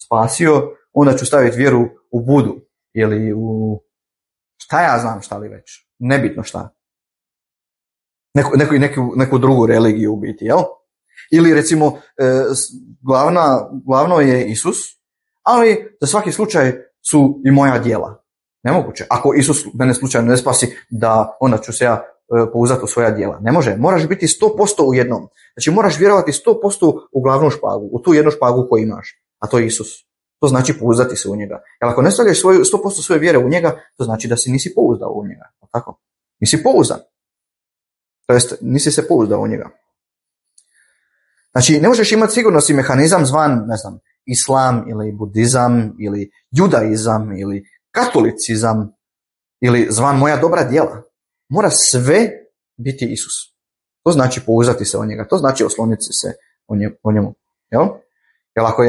spasio, onda ću staviti vjeru u Budu ili u šta ja znam šta li već. Nebitno šta. Neku drugu religiju u biti, jel? Ili recimo glavno je Isus, ali za svaki slučaj su i moja djela. Nemoguće. Ako Isus mene slučajno ne spasi, da onda ću se ja pouzdati u svoja djela. Ne može. Moraš biti 100% u jednom. Znači moraš vjerovati 100% u glavnu špagu, u tu jednu špagu koju imaš, a to je Isus. To znači pouzdati se u njega. Jer ako ne stavljaš 100% svoje vjere u njega, to znači da se nisi pouzdao u njega. Tako? Nisi pouzdan. To jest, nisi se pouzdao u njega. Znači, ne možeš imati sigurnosni mehanizam zvan, ne znam, islam ili budizam ili judaizam ili katolicizam ili zvan moja dobra djela. Mora sve biti Isus. To znači pouzdati se o njega. To znači osloniti se o njemu. Jel? Jer ako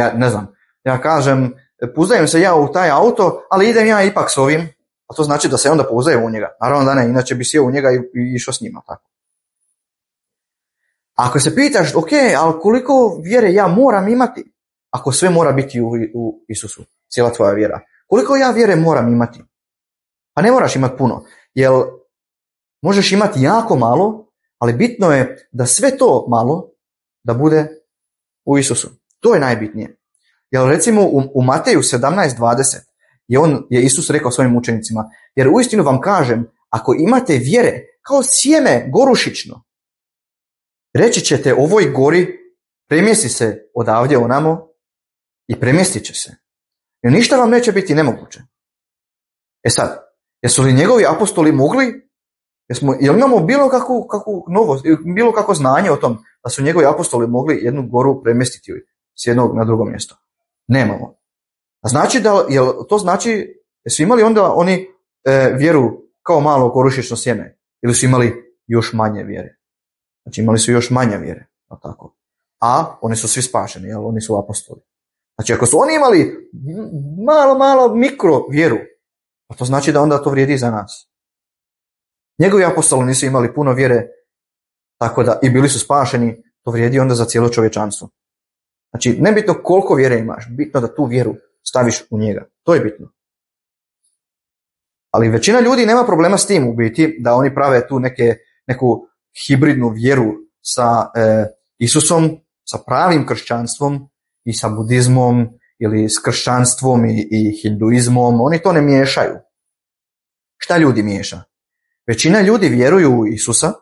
ja kažem, pouzdajem se ja u taj auto, ali idem ja ipak s ovim, a to znači da se onda pouzdajem u njega. Naravno da ne, inače bi sjeo u njega i išao s njima. Tako. Ako se pitaš, ok, ali koliko vjere ja moram imati, ako sve mora biti u Isusu? cijela tvoja vjera. Koliko ja vjere moram imati? Pa ne moraš imati puno, jer možeš imati jako malo, ali bitno je da sve to malo da bude u Isusu. To je najbitnije. Jer recimo u Mateju 17:20 je Isus rekao svojim učenicima, jer uistinu vam kažem, ako imate vjere kao sjeme gorušično, reći ćete ovoj gori, premjesti se odavdje onamo i premjestit će se. Jer ništa vam neće biti nemoguće. E sad, jesu li njegovi apostoli mogli? Jel imamo bilo kakvo znanje o tom da su njegovi apostoli mogli jednu goru premjestiti s jednog na drugo mjesto? Nemamo. A znači jesu imali onda oni vjeru kao malo gorušično sjeme? Ili su imali još manje vjere? Znači imali su još manje vjere. Tako. A oni su svi spašeni, jer oni su apostoli. Znači ako su oni imali malo mikro vjeru, a to znači da onda to vrijedi za nas. Njegovi apostoli nisu imali puno vjere, tako da i bili su spašeni, to vrijedi onda za cijelo čovječanstvo. Znači, nebitno koliko vjere imaš, bitno da tu vjeru staviš u njega. To je bitno. Ali većina ljudi nema problema s tim u biti, da oni prave tu neku hibridnu vjeru sa Isusom, sa pravim kršćanstvom i sa budizmom ili s kršćanstvom i hinduizmom. Oni to ne miješaju. Šta ljudi miješa? Većina ljudi vjeruju u Isusa,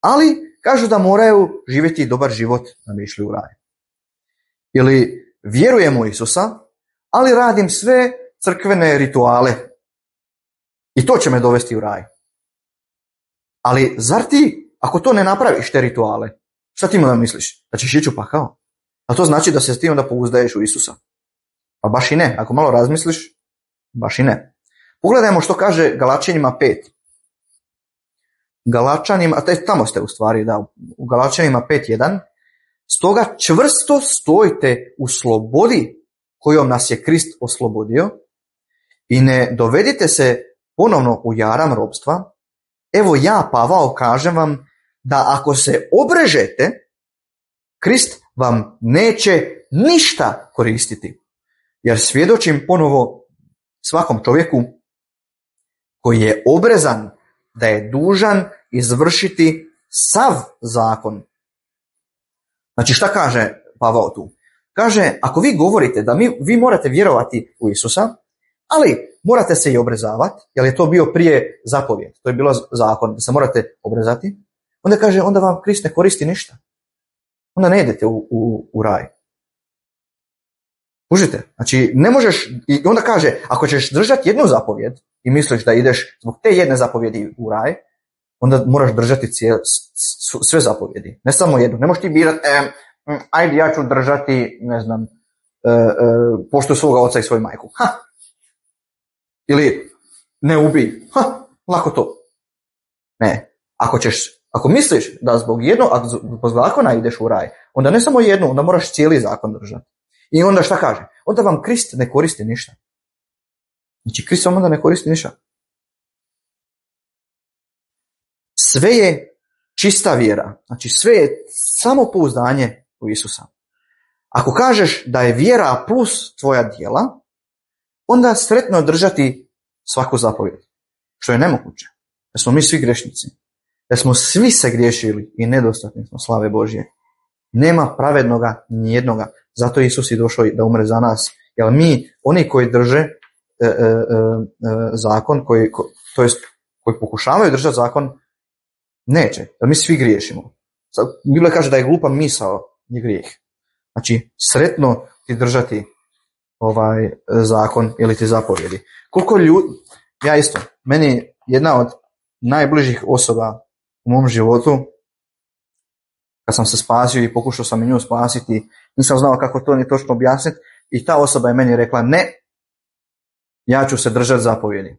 ali kažu da moraju živjeti dobar život da bi išli u raj. Ili vjerujem u Isusa, ali radim sve crkvene rituale i to će me dovesti u raj. Ali zar ti, ako to ne napraviš te rituale, šta ti onda misliš? Da ćeš ići u pakao? A to znači da se ti onda pouzdaješ u Isusa. Pa baš i ne, ako malo razmisliš, baš i ne. Pogledajmo što kaže Galačanima 5. Tamo ste u stvari, da, u Galačanima 5:1. Stoga čvrsto stojite u slobodi kojom nas je Krist oslobodio i ne dovedite se ponovno u jaram ropstva. Evo ja, Pavao, kažem vam da ako se obrežete, Krist vam neće ništa koristiti. Jer svjedočim ponovo svakom čovjeku koji je obrezan da je dužan izvršiti sav zakon. Znači šta kaže Pavao tu? Kaže, ako vi govorite da vi morate vjerovati u Isusa, ali morate se i obrezavati, jer je to bio prije zapovjed, to je bilo zakon, da se morate obrezati, onda kaže, onda vam Krist ne koristi ništa. Onda ne idete u raj. Kužite? Znači, ne možeš, i onda kaže, ako ćeš držati jednu zapovjed i misliš da ideš zbog te jedne zapovjedi u raj, onda moraš držati sve zapovjedi. Ne samo jednu. Ne možeš ti birati, ajde ja ću držati, ne znam, poštuj svoga oca i svoju majku. Ili ne ubij. Lako to. Ne. Ako misliš da zbog zakona ideš u raj, onda ne samo jednu, onda moraš cijeli zakon držati. I onda šta kaže? Onda vam Krist ne koristi ništa. Znači, Krist vam onda ne koristi ništa. Sve je čista vjera. Znači, sve je samo pouzdanje u Isusa. Ako kažeš da je vjera plus tvoja djela, onda sretno držati svaku zapovjed. Što je nemoguće. Jer smo mi svi grešnici. Jer smo svi se griješili i nedostatni smo slave Božje. Nema pravednoga nijednoga. Zato Isus je došao da umre za nas. Jer mi, oni koji drže zakon, koji pokušavaju držati zakon, neće. Jer mi svi griješimo. Biblia kaže da je glupa misao je grijeh. Znači, sretno ti držati zakon ili ti zapovjedi. Koliko ljudi, ja isto, meni jedna od najbližih osoba u mom životu, kad sam se spasio i pokušao sam i nju spasiti, nisam znao kako to ni točno objasniti, i ta osoba je meni rekla, ne, ja ću se držati zapovjedi.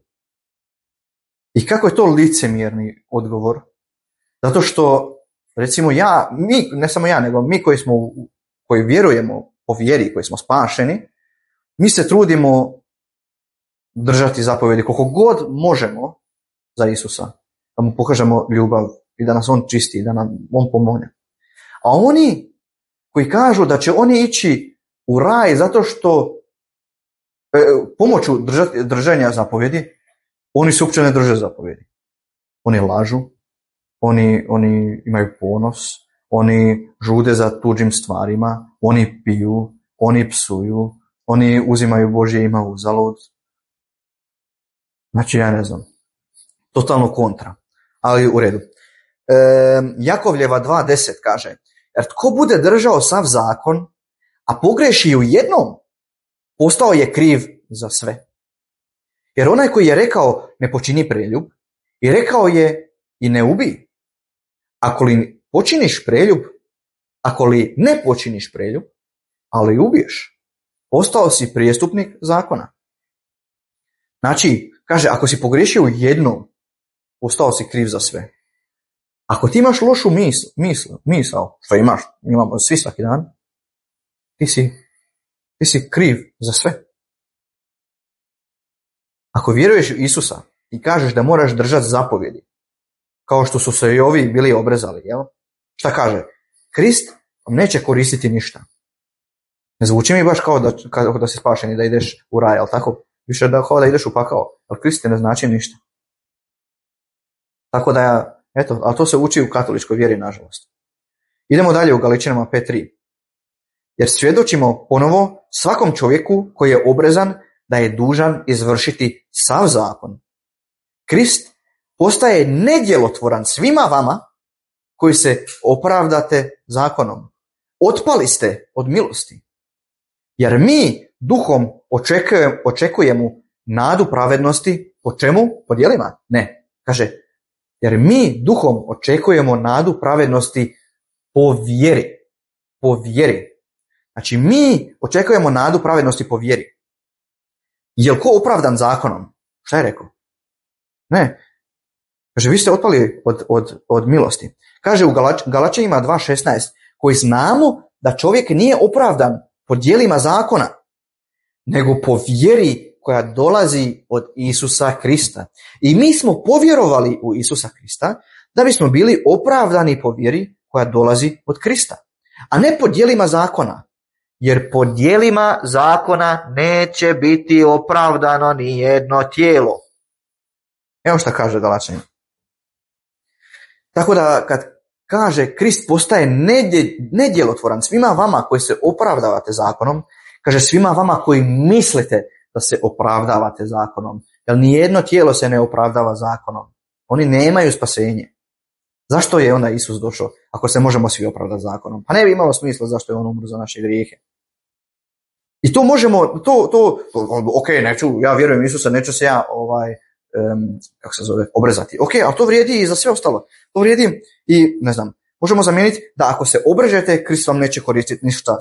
I kako je to licemjerni odgovor? Zato što, recimo ne samo ja, nego mi koji vjerujemo po vjeri, koji smo spašeni, mi se trudimo držati zapovjedi koliko god možemo za Isusa, da mu pokažemo ljubav i da nas on čisti, da nam on pomogne. A oni koji kažu da će oni ići u raj zato što pomoću držanja zapovjedi, oni se uopće ne drže zapovjedi. Oni lažu, oni imaju ponos, oni žude za tuđim stvarima, oni piju, oni psuju, oni uzimaju Božje ime uzalud. Znači, ja ne znam, totalno kontra, ali u redu. Jakovljeva 2.10 kaže, jer tko bude držao sav zakon, a pogreši u jednom, postao je kriv za sve. Jer onaj koji je rekao ne počini preljub, i rekao je i ne ubij. Ako li počiniš preljub, ako li ne počiniš preljub, ali ubiješ, postao si prijestupnik zakona. Znači, kaže, ako si pogriješio u jednom, postao si kriv za sve. Ako ti imaš lošu misao, što imamo svi svaki dan, ti si kriv za sve. Ako vjeruješ u Isusa i kažeš da moraš držati zapovjedi, kao što su se i ovi bili obrezali, jel? Šta kaže? Krist vam neće koristiti ništa. Ne zvuči mi baš kao da si spašen i da ideš u raj, ali tako? Više kao da ideš u pakao, ali Krist ti ne znači ništa. Tako da, eto, ali to se uči u katoličkoj vjeri, nažalost. Idemo dalje u Galičanima 5.3. Jer svjedočimo ponovo svakom čovjeku koji je obrezan da je dužan izvršiti sav zakon. Krist postaje nedjelotvoran svima vama koji se opravdate zakonom. Otpali ste od milosti. Jer mi duhom očekujemo nadu pravednosti. Po čemu? Po djelima? Ne. Kaže, jer mi duhom očekujemo nadu pravednosti po vjeri. Po vjeri. Znači, mi očekujemo nadu pravednosti po vjeri. Je li ko opravdan zakonom? Šta je rekao? Ne. Kaže, vi ste otpali od milosti. Kaže u Galačanima 2.16, koji znamo da čovjek nije opravdan po djelima zakona, nego po vjeri koja dolazi od Isusa Krista. I mi smo povjerovali u Isusa Krista da bismo bili opravdani po vjeri koja dolazi od Krista, a ne po djelima zakona. Jer po djelima zakona neće biti opravdano ni jedno tijelo. Evo šta kaže Galačanima. Tako da kad kaže Krist postaje nedjelotvoran svima vama koji se opravdavate zakonom, kaže svima vama koji mislite da se opravdavate zakonom. Jer nijedno tijelo se ne opravdava zakonom. Oni nemaju spasenje. Zašto je onda Isus došao ako se možemo svi opravdati zakonom? Pa ne bi imalo smisla zašto je on umro za naše grijehe. I to možemo, ok, ja vjerujem u Isusa, neću se ja obrezati. Ok, ali to vrijedi i za sve ostalo. To vrijedi i, ne znam, možemo zamijeniti da ako se obrežete, Krist vam neće koristiti ništa.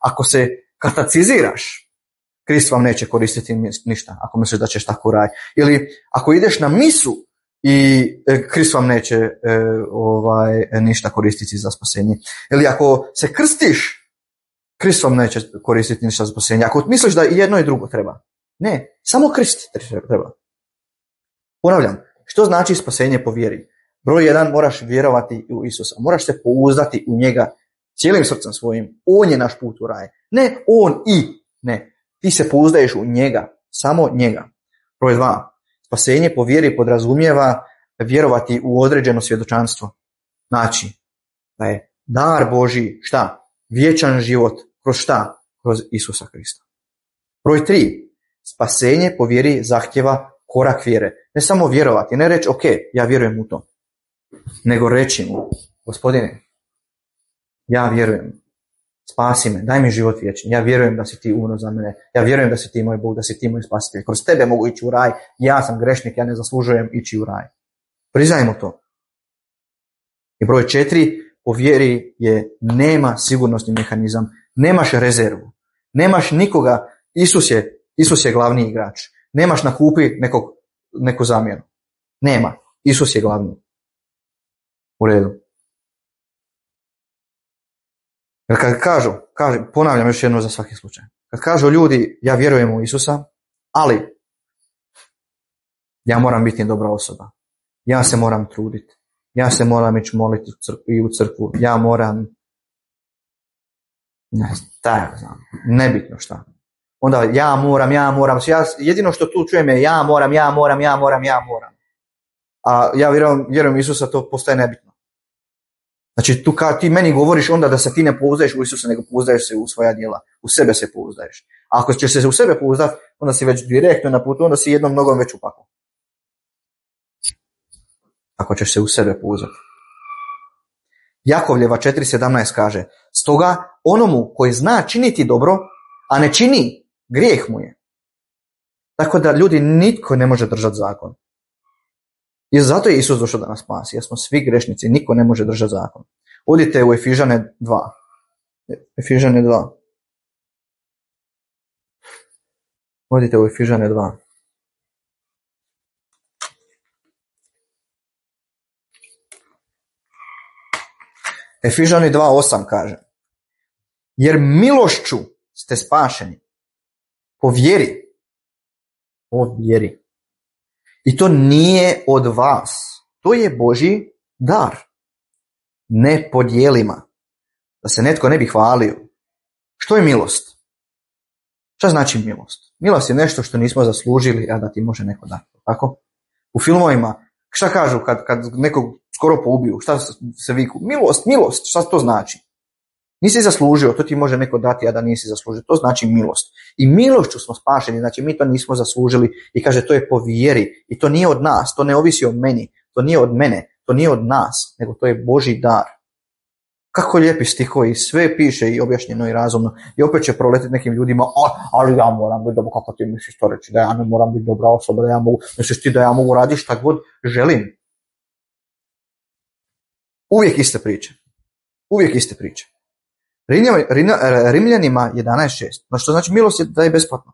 Ako se kataciziraš, Krist vam neće koristiti ništa, ako misliš da ćeš tako raditi. Ili ako ideš na misu i Krist vam neće ništa koristiti za spasenje. Ili ako se krstiš, Krist vam neće koristiti ništa za spasenje. Ako misliš da i jedno i drugo treba. Ne, samo Krist treba. Ponavljam, što znači spasenje po vjeri? Broj 1, moraš vjerovati u Isusa. Moraš se pouzdati u njega cijelim srcem svojim. On je naš put u raj. Ne on i. Ne. Ti se pouzdaješ u njega. Samo njega. Broj 2. Spasenje po vjeri podrazumijeva vjerovati u određeno svjedočanstvo. Znači, da je dar Božji, šta? Vječan život. Kroz šta? Kroz Isusa Krista. Broj 3. Spasenje po vjeri zahtjeva korak vjere. Ne samo vjerovati, ne reći ok, ja vjerujem u to. Nego reći mu, Gospodine, ja vjerujem, spasi me, daj mi život vječni. Ja vjerujem da si ti umro za mene. Ja vjerujem da si ti moj Bog, da si ti moj spasitelj. Kroz tebe mogu ići u raj. Ja sam grešnik, ja ne zaslužujem ići u raj. Priznajmo to. I broj 4, po vjeri nema sigurnosni mehanizam. Nemaš rezervu. Nemaš nikoga. Isus je glavni igrač. Nemaš na kupi neku zamjenu. Nema. Isus je glavni. U redu. Jer kad kažu, ponavljam još jedno za svaki slučaj. Kad kažu ljudi, ja vjerujem u Isusa, ali ja moram biti dobra osoba. Ja se moram truditi. Ja se moram ići moliti u crkvu. Ja moram, nebitno šta. Onda ja moram. Jedino što tu čujem je ja moram. A ja vjerujem Isusa, to postaje nebitno. Znači tu kad ti meni govoriš onda da se ti ne pouzdaješ u Isusa, nego pouzdaješ se u svoja djela. U sebe se pouzdaješ. A ako ćeš se u sebe pouzdati, onda si već direktno na putu, onda si jednom nogom već u paklu. Ako ćeš se u sebe pouzdati. Jakovljeva 4.17 kaže: stoga onomu koji zna činiti dobro, a ne čini, grijeh mu je. Tako da ljudi, nitko ne može držati zakon. I zato je Isus došao da nas spasi, jer smo svi grešnici, niko ne može držati zakon. Odite u Efežane 2. Efežane 2. Odite u Efežane 2. Efežani 2.8 kaže: jer milošću ste spašeni po vjeri. Po vjeri. I to nije od vas. To je Božji dar. Ne po djelima. Da se netko ne bi hvalio. Što je milost? Šta znači milost? Milost je nešto što nismo zaslužili, a da ti može neko dati. Tako? U filmovima, šta kažu kad nekog skoro poubiju? Šta se viku? Milost. Šta to znači? Nisi zaslužio, to ti može neko dati, a da nisi zaslužio. To znači milost. I milošću smo spašeni, znači mi to nismo zaslužili. I kaže, to je po vjeri. I to nije od nas, to ne ovisi o meni, to nije od mene, to nije od nas, nego to je Božji dar. Kako lijepi stihovi, sve piše i objašnjeno i razumno. I opet će proletiti nekim ljudima, ali ja moram biti dobro, kako ti misliš to reći, da ja ne moram biti dobra osoba, da ja mogu, misliš ti da ja mogu raditi šta god želim. Uvijek iste priče. Rimljanima 11.6. No što znači milost je da je besplatno.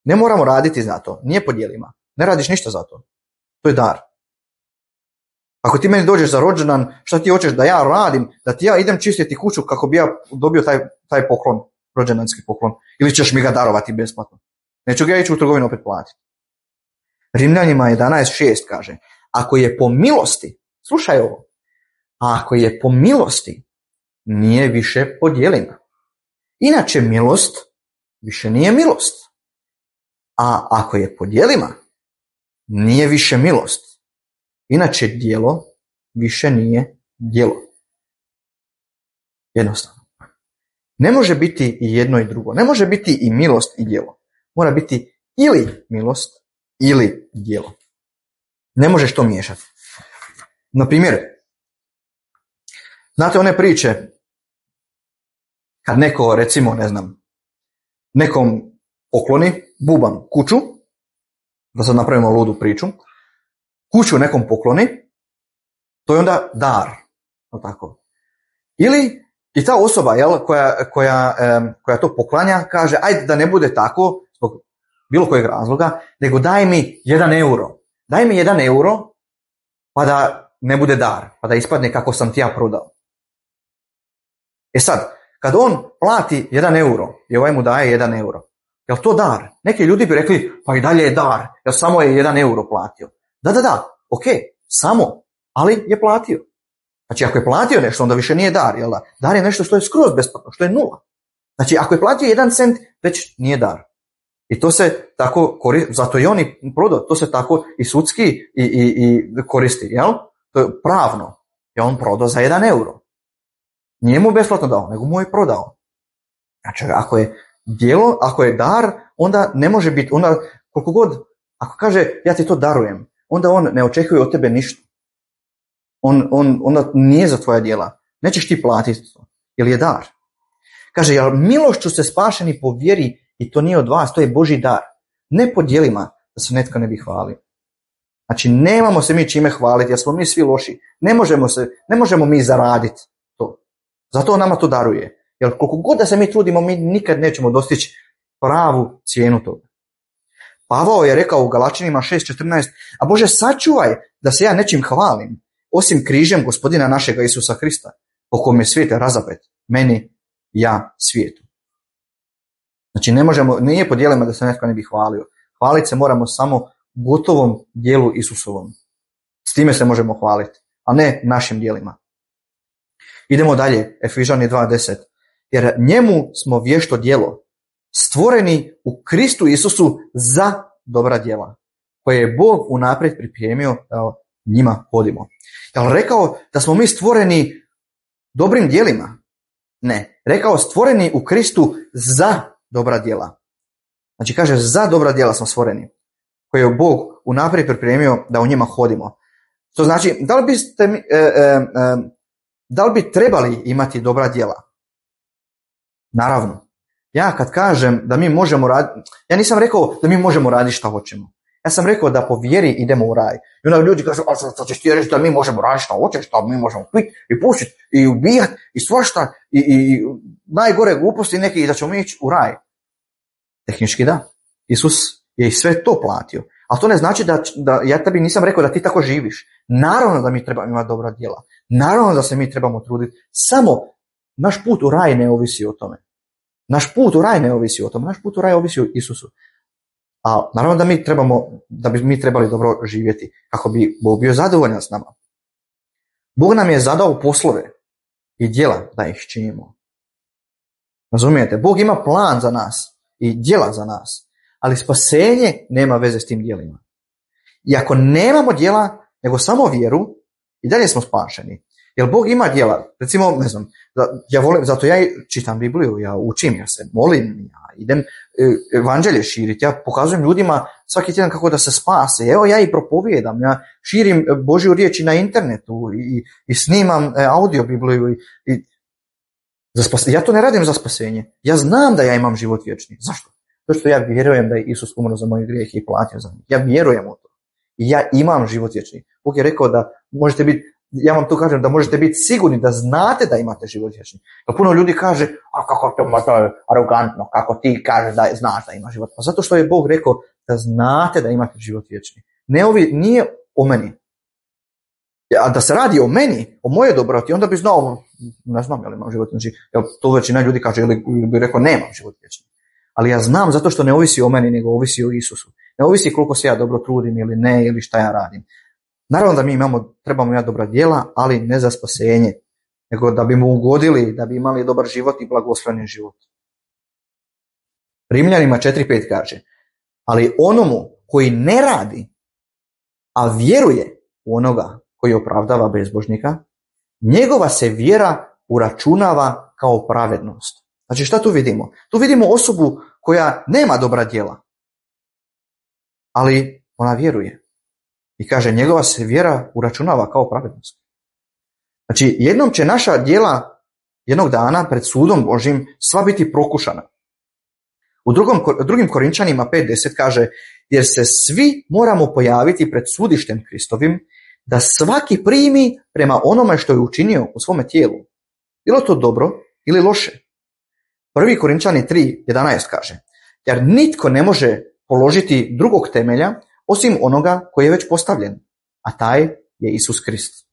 Ne moramo raditi za to, nije po djelima. Ne radiš ništa za to. To je dar. Ako ti meni dođeš za rođendan, šta ti hoćeš da ja radim, da ti ja idem čistiti kuću kako bi ja dobio taj poklon, rođendanski poklon, ili ćeš mi ga darovati besplatno. Neću ga ići u trgovinu opet platiti. Rimljanima 11.6 kaže: ako je po milosti, slušaj ovo, ako je po milosti, nije više po djelima. Inače milost više nije milost. A ako je po djelima, nije više milost. Inače djelo više nije djelo. Jednostavno. Ne može biti i jedno i drugo. Ne može biti i milost i djelo. Mora biti ili milost ili djelo. Ne možeš to miješati. Na primjer, znate one priče kad neko, recimo, ne znam, nekom pokloni buban kuću, da sad napravimo ludu priču, kuću nekom pokloni, to je onda dar. Tako. Ili i ta osoba, jel, koja to poklanja, kaže, ajde da ne bude tako, zbog bilo kojeg razloga, nego daj mi 1 euro. Daj mi 1 euro, pa da ne bude dar, pa da ispadne kako sam ti ja prodao. E sad, kad on plati 1 euro i ovaj mu daje 1 euro, je li to dar? Neki ljudi bi rekli, pa i dalje je dar, jer samo je 1 euro platio. Da, ok, samo, ali je platio. Znači, ako je platio nešto, onda više nije dar, jel da? Dar je nešto što je skroz besplatno, što je nula. Znači, ako je platio 1 cent, već nije dar. I to se tako koristi, zato i oni prodao, to se tako i sudski i koristi, jel? To je pravno, je on prodao za 1 euro. Nije mu besplatno dao, nego mu je prodao. Znači, ako je djelo, ako je dar, onda ne može biti, onda koliko god, ako kaže ja ti to darujem, onda on ne očekuje od tebe ništa. Onda nije za tvoja djela. Nećeš ti platiti to, jer je dar. Kaže, jer milošću ste spašeni po vjeri i to nije od vas, to je Božji dar. Ne po djelima da se netko ne bi hvalio. Znači, nemamo se mi čime hvaliti, jer smo mi svi loši. Ne možemo mi zaraditi to. Zato on nama to daruje. Jer koliko god da se mi trudimo, mi nikad nećemo dostići pravu cijenu toga. Pavao je rekao u Galačanima 6.14, a Bože, sačuvaj da se ja nečim hvalim, osim križem Gospodina našega Isusa Krista, po kome je svijet razapet, meni, ja, svijetu. Znači, nije po djelima da se netko ne bi hvalio. Hvaliti se moramo samo gotovom djelu Isusovom. S time se možemo hvaliti, a ne našim djelima. Idemo dalje, Efežani 2.10. Jer njemu smo vješto djelo, stvoreni u Kristu Isusu za dobra djela, koje je Bog unaprijed pripremio da njima hodimo. Jel rekao da smo mi stvoreni dobrim djelima? Ne. Rekao stvoreni u Kristu za dobra djela. Znači kaže za dobra djela smo stvoreni, koje je Bog unaprijed pripremio da u njima hodimo. To znači, da li bi trebali imati dobra djela? Naravno. Ja kad kažem da mi možemo raditi, ja nisam rekao da mi možemo raditi šta hoćemo. Ja sam rekao da po vjeri idemo u raj. I onda ljudi kažu, a što ćeš ti reći da mi možemo raditi šta hoćemo, šta mi možemo piti i pušiti i ubijati i svašta i najgore gluposti neki i da ćemo mi ići u raj. Tehnički da. Isus je i sve to platio. Ali to ne znači da ja tebi nisam rekao da ti tako živiš. Naravno da mi trebamo imati dobra djela. Naravno da se mi trebamo truditi. Samo naš put u raj ne ovisi o tome. Naš put u raj ne ovisi o tome. Naš put u raj ovisi o Isusu. A naravno da bi mi trebali dobro živjeti kako bi Bog bio zadovoljan s nama. Bog nam je zadao poslove i djela da ih činimo. Razumijete? Bog ima plan za nas i djela za nas. Ali spasenje nema veze s tim djelima. I ako nemamo djela, nego samo vjeru, i dalje smo spašeni. Jer Bog ima djela. Recimo, ne znam, ja volim, zato ja čitam Bibliju, ja učim, ja se molim, ja idem evanđelje širiti, ja pokazujem ljudima svaki tjedan kako da se spase. Evo ja i propovijedam, ja širim Božju riječ na internetu i snimam audio Bibliju. Ja to ne radim za spasenje. Ja znam da ja imam život vječni. Zašto? To što ja vjerujem da je Isus umro za moje grijehe i platio za njih. Ja vjerujem u to. I ja imam život vječni. Bog je rekao da možete biti, ja vam to kažem, da možete biti sigurni da znate da imate život vječni. Pa puno ljudi kaže, a kako to je arogantno, kako ti kažeš da znaš da imaš život. Pa zato što je Bog rekao da znate da imate život vječni. Nije o meni. A da se radi o meni, o moje dobroti, onda bi znao, ne znam je li imam život vječni. To većina ljudi kaže, ili bi rekao nemam život vječni. Ali ja znam zato što ne ovisi o meni, nego ovisi o Isusu. Ne ovisi koliko se ja dobro trudim ili ne, ili šta ja radim. Naravno da mi trebamo imati dobra djela, ali ne za spasenje, nego da bi mu ugodili, da bi imali dobar život i blagosloveni život. Rimljanima 4.5 kaže, ali onomu koji ne radi, a vjeruje u onoga koji opravdava bezbožnika, njegova se vjera uračunava kao pravednost. Znači šta tu vidimo? Tu vidimo osobu koja nema dobra djela, ali ona vjeruje. I kaže, njegova se vjera uračunava kao pravednost. Znači, jednom će naša djela jednog dana pred sudom Božim sva biti prokušana. U drugim Korinčanima 5.10 kaže, jer se svi moramo pojaviti pred sudištem Kristovim, da svaki primi prema onome što je učinio u svome tijelu. Bilo to dobro ili loše. 1. Korinčani 3.11 kaže, jer nitko ne može položiti drugog temelja osim onoga koji je već postavljen, a taj je Isus Krist.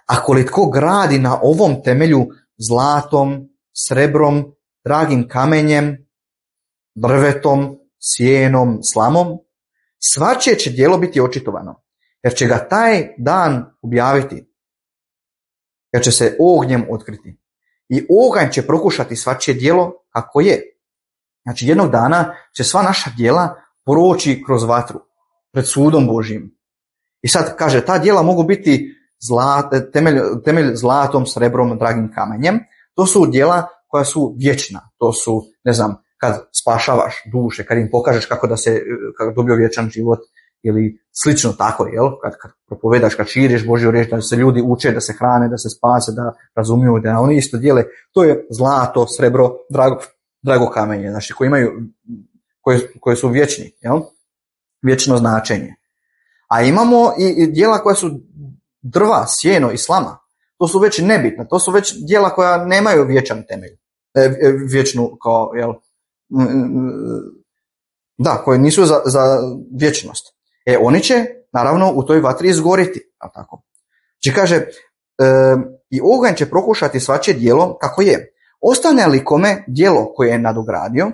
Ako li tko gradi na ovom temelju zlatom, srebrom, dragim kamenjem, drvetom, sjenom, slamom, svačije će djelo biti očitovano, jer će ga taj dan objaviti, jer će se ognjem otkriti. I oganj će prokušati svačije djelo kako je. Znači jednog dana će sva naša djela proći kroz vatru pred sudom Božjim. I sad kaže, ta djela mogu biti temelj zlatom, srebrom, dragim kamenjem. To su djela koja su vječna. To su, ne znam, kad spašavaš duše, kad im pokažeš kako dobio vječan život ili slično tako, jel? Kad propovedaš, kad širiš Božju riječ, da se ljudi uče, da se hrane, da se spase, da razumiju, da oni isto dijele. To je zlato, srebro, drago kamenje, znači koje su vječni, jel? Vječno značenje. A imamo i djela koja su drva, sjeno i slama. To su već nebitna, to su već djela koja nemaju vječan temelj. Vječnu kao, jel? Da, koje nisu za vječnost. Oni će, naravno, u toj vatri izgoriti. Tako. Znači kaže, i oganj će prokušati svačije djelo kako je. Ostane li kome djelo koje je nadogradio,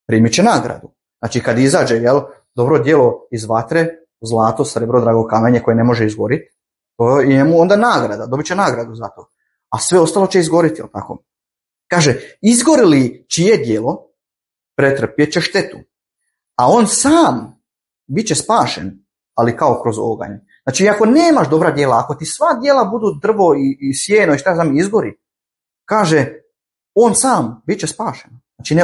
primit će nagradu. Znači kad izađe, jel, dobro djelo iz vatre, zlato, srebro, drago kamenje koje ne može izgoriti, to je mu onda nagrada, dobit će nagradu za to. A sve ostalo će izgoriti, jel tako? Kaže, izgori li čije djelo, pretrpjet će štetu. A on sam bit će spašen, ali kao kroz oganj. Znači, ako nemaš dobra djela, ako ti sva djela budu drvo i sjeno i šta znam izgori, kaže, on sam bit će spašen. Znači,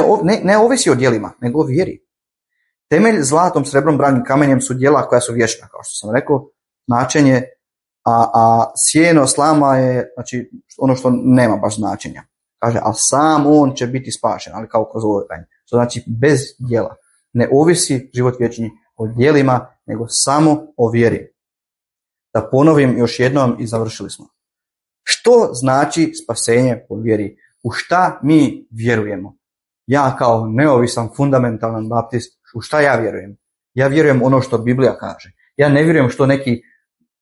ne ovisi o djelima, nego o vjeri. Temelj zlatom, srebrom, branim kamenjem su djela koja su vječna, kao što sam rekao, značenje, a sjeno, slama je znači, ono što nema baš značenja. Kaže, ali sam on će biti spašen, ali kao kroz oganj. To znači bez djela. Ne ovisi život vječni o djelima, nego samo o vjeri. Da ponovim još jednom i završili smo. Što znači spasenje po vjeri? U šta mi vjerujemo? Ja kao neovisan, fundamentalan baptist, u šta ja vjerujem? Ja vjerujem ono što Biblija kaže. Ja ne vjerujem što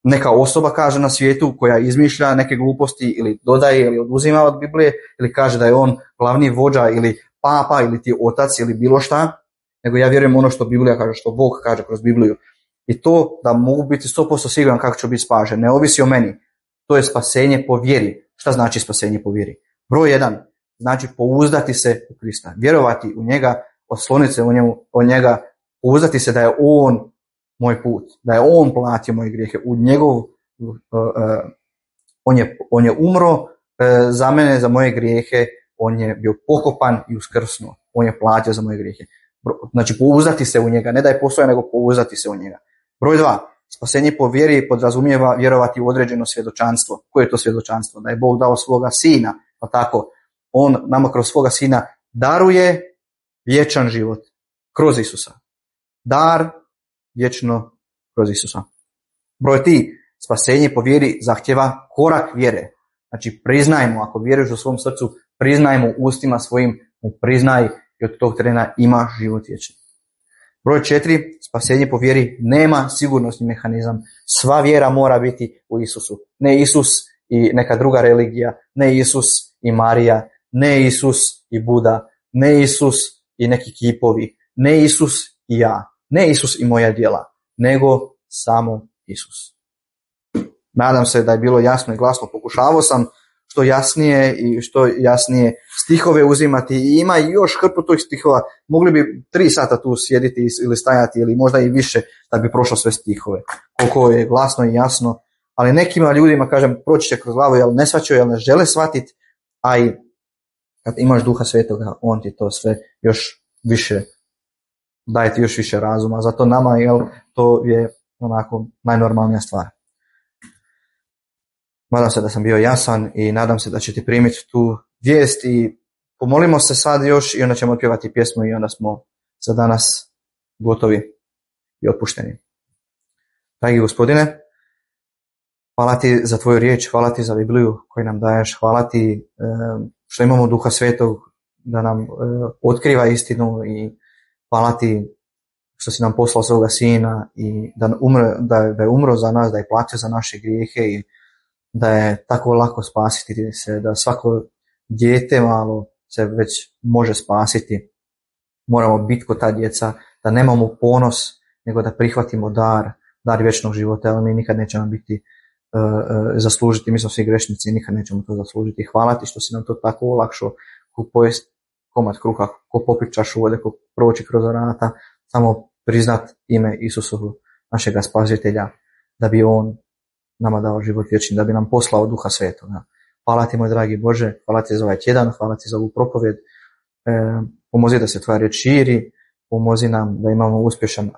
neka osoba kaže na svijetu koja izmišlja neke gluposti ili dodaje ili oduzima od Biblije ili kaže da je on glavni vođa ili papa ili ti otac ili bilo šta, nego ja vjerujem ono što Biblija kaže, što Bog kaže kroz Bibliju. I to da mogu biti 100% siguran kako ću biti spašen, ne ovisi o meni. To je spasenje po vjeri. Šta znači spasenje po vjeri? Broj 1, znači pouzdati se u Krista, vjerovati u njega, osloniti se o njega, pouzdati se da je on moj put, da je on platio moje grijehe, u njegov, on je umro za mene, za moje grijehe, on je bio pokopan i uskrsnuo, on je platio za moje grijehe. Znači pouzdati se u njega, ne da je postoja, nego pouzdati se u njega. Broj 2, spasenje po vjeri podrazumijeva vjerovati u određeno svjedočanstvo. Koje je to svjedočanstvo? Da je Bog dao svoga sina, pa tako, on nama kroz svoga sina daruje vječan život kroz Isusa. Dar vječno kroz Isusa. Broj 3, spasenje po vjeri zahtjeva korak vjere. Znači priznajmo, ako vjeruješ u svom srcu, priznajmo ustima svojim, priznaj i od tog trena imaš život vječni. Broj 4, spasenje po vjeri nema sigurnosni mehanizam. Sva vjera mora biti u Isusu. Ne Isus i neka druga religija, ne Isus i Marija, ne Isus i Buda, ne Isus i neki kipovi, ne Isus i ja, ne Isus i moja djela, nego samo Isus. Nadam se da je bilo jasno i glasno. Pokušavao sam što jasnije stihove uzimati i ima još hrpu tih stihova. Mogli bi 3 sata tu sjediti ili stajati ili možda i više da bi prošlo sve stihove. Koliko je glasno i jasno. Ali nekima ljudima, kažem, proći će kroz glavu, jel ne shvaćaju, jel ne žele shvatiti, a i kad imaš Duha Svetoga, on ti to sve još više, daje ti još više razuma. Zato nama, jel, to je onako najnormalnija stvar. Nadam se da sam bio jasan i nadam se da ćete primiti tu vijest i pomolimo se sad još i onda ćemo otpjevati pjesmu i onda smo za danas gotovi i otpušteni. Dragi Gospodine, hvala ti za tvoju riječ, hvala ti za Bibliju koju nam daješ, hvala ti što imamo Duha Svetog da nam otkriva istinu i hvala ti što si nam poslao svoga sina i da je umro za nas, da je platio za naše grijehe i da je tako lako spasiti se, da svako dijete malo se već može spasiti. Moramo biti kod ta djeca, da nemamo ponos, nego da prihvatimo dar vječnog života, ali mi nikad nećemo biti zaslužiti, mi smo svi grešnici i nikad nećemo to zaslužiti. Hvala ti što si nam to tako olakšao, ko pojest komad kruha, ko popit čašu vode, ko proći kroz vrata, samo priznat ime Isusovu, našega spasitelja, da bi on nama dao život vječni, da bi nam poslao Duha Svetoga. Hvala ti, moj dragi Bože, hvala ti za ovaj tjedan, hvala ti za ovu propovjed. Pomozi da se tvoja riječ širi, pomozi nam da imamo uspješan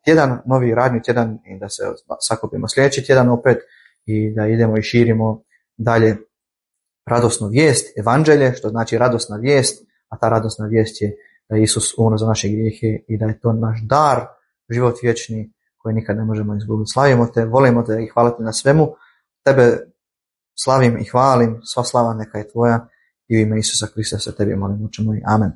tjedan, novi radni tjedan i da se sakupimo sljedeći tjedan opet i da idemo i širimo dalje radosnu vijest, evanđelje, što znači radosna vijest, a ta radosna vijest je da je Isus umro za naše grijehe i da je to naš dar, život vječni koji nikad ne možemo izgubiti. Slavimo te, volimo te i hvala ti na svemu. Tebe slavim i hvalim, sva slava neka je tvoja i u ime Isusa Krista se tebi molim, oče moj. Amen.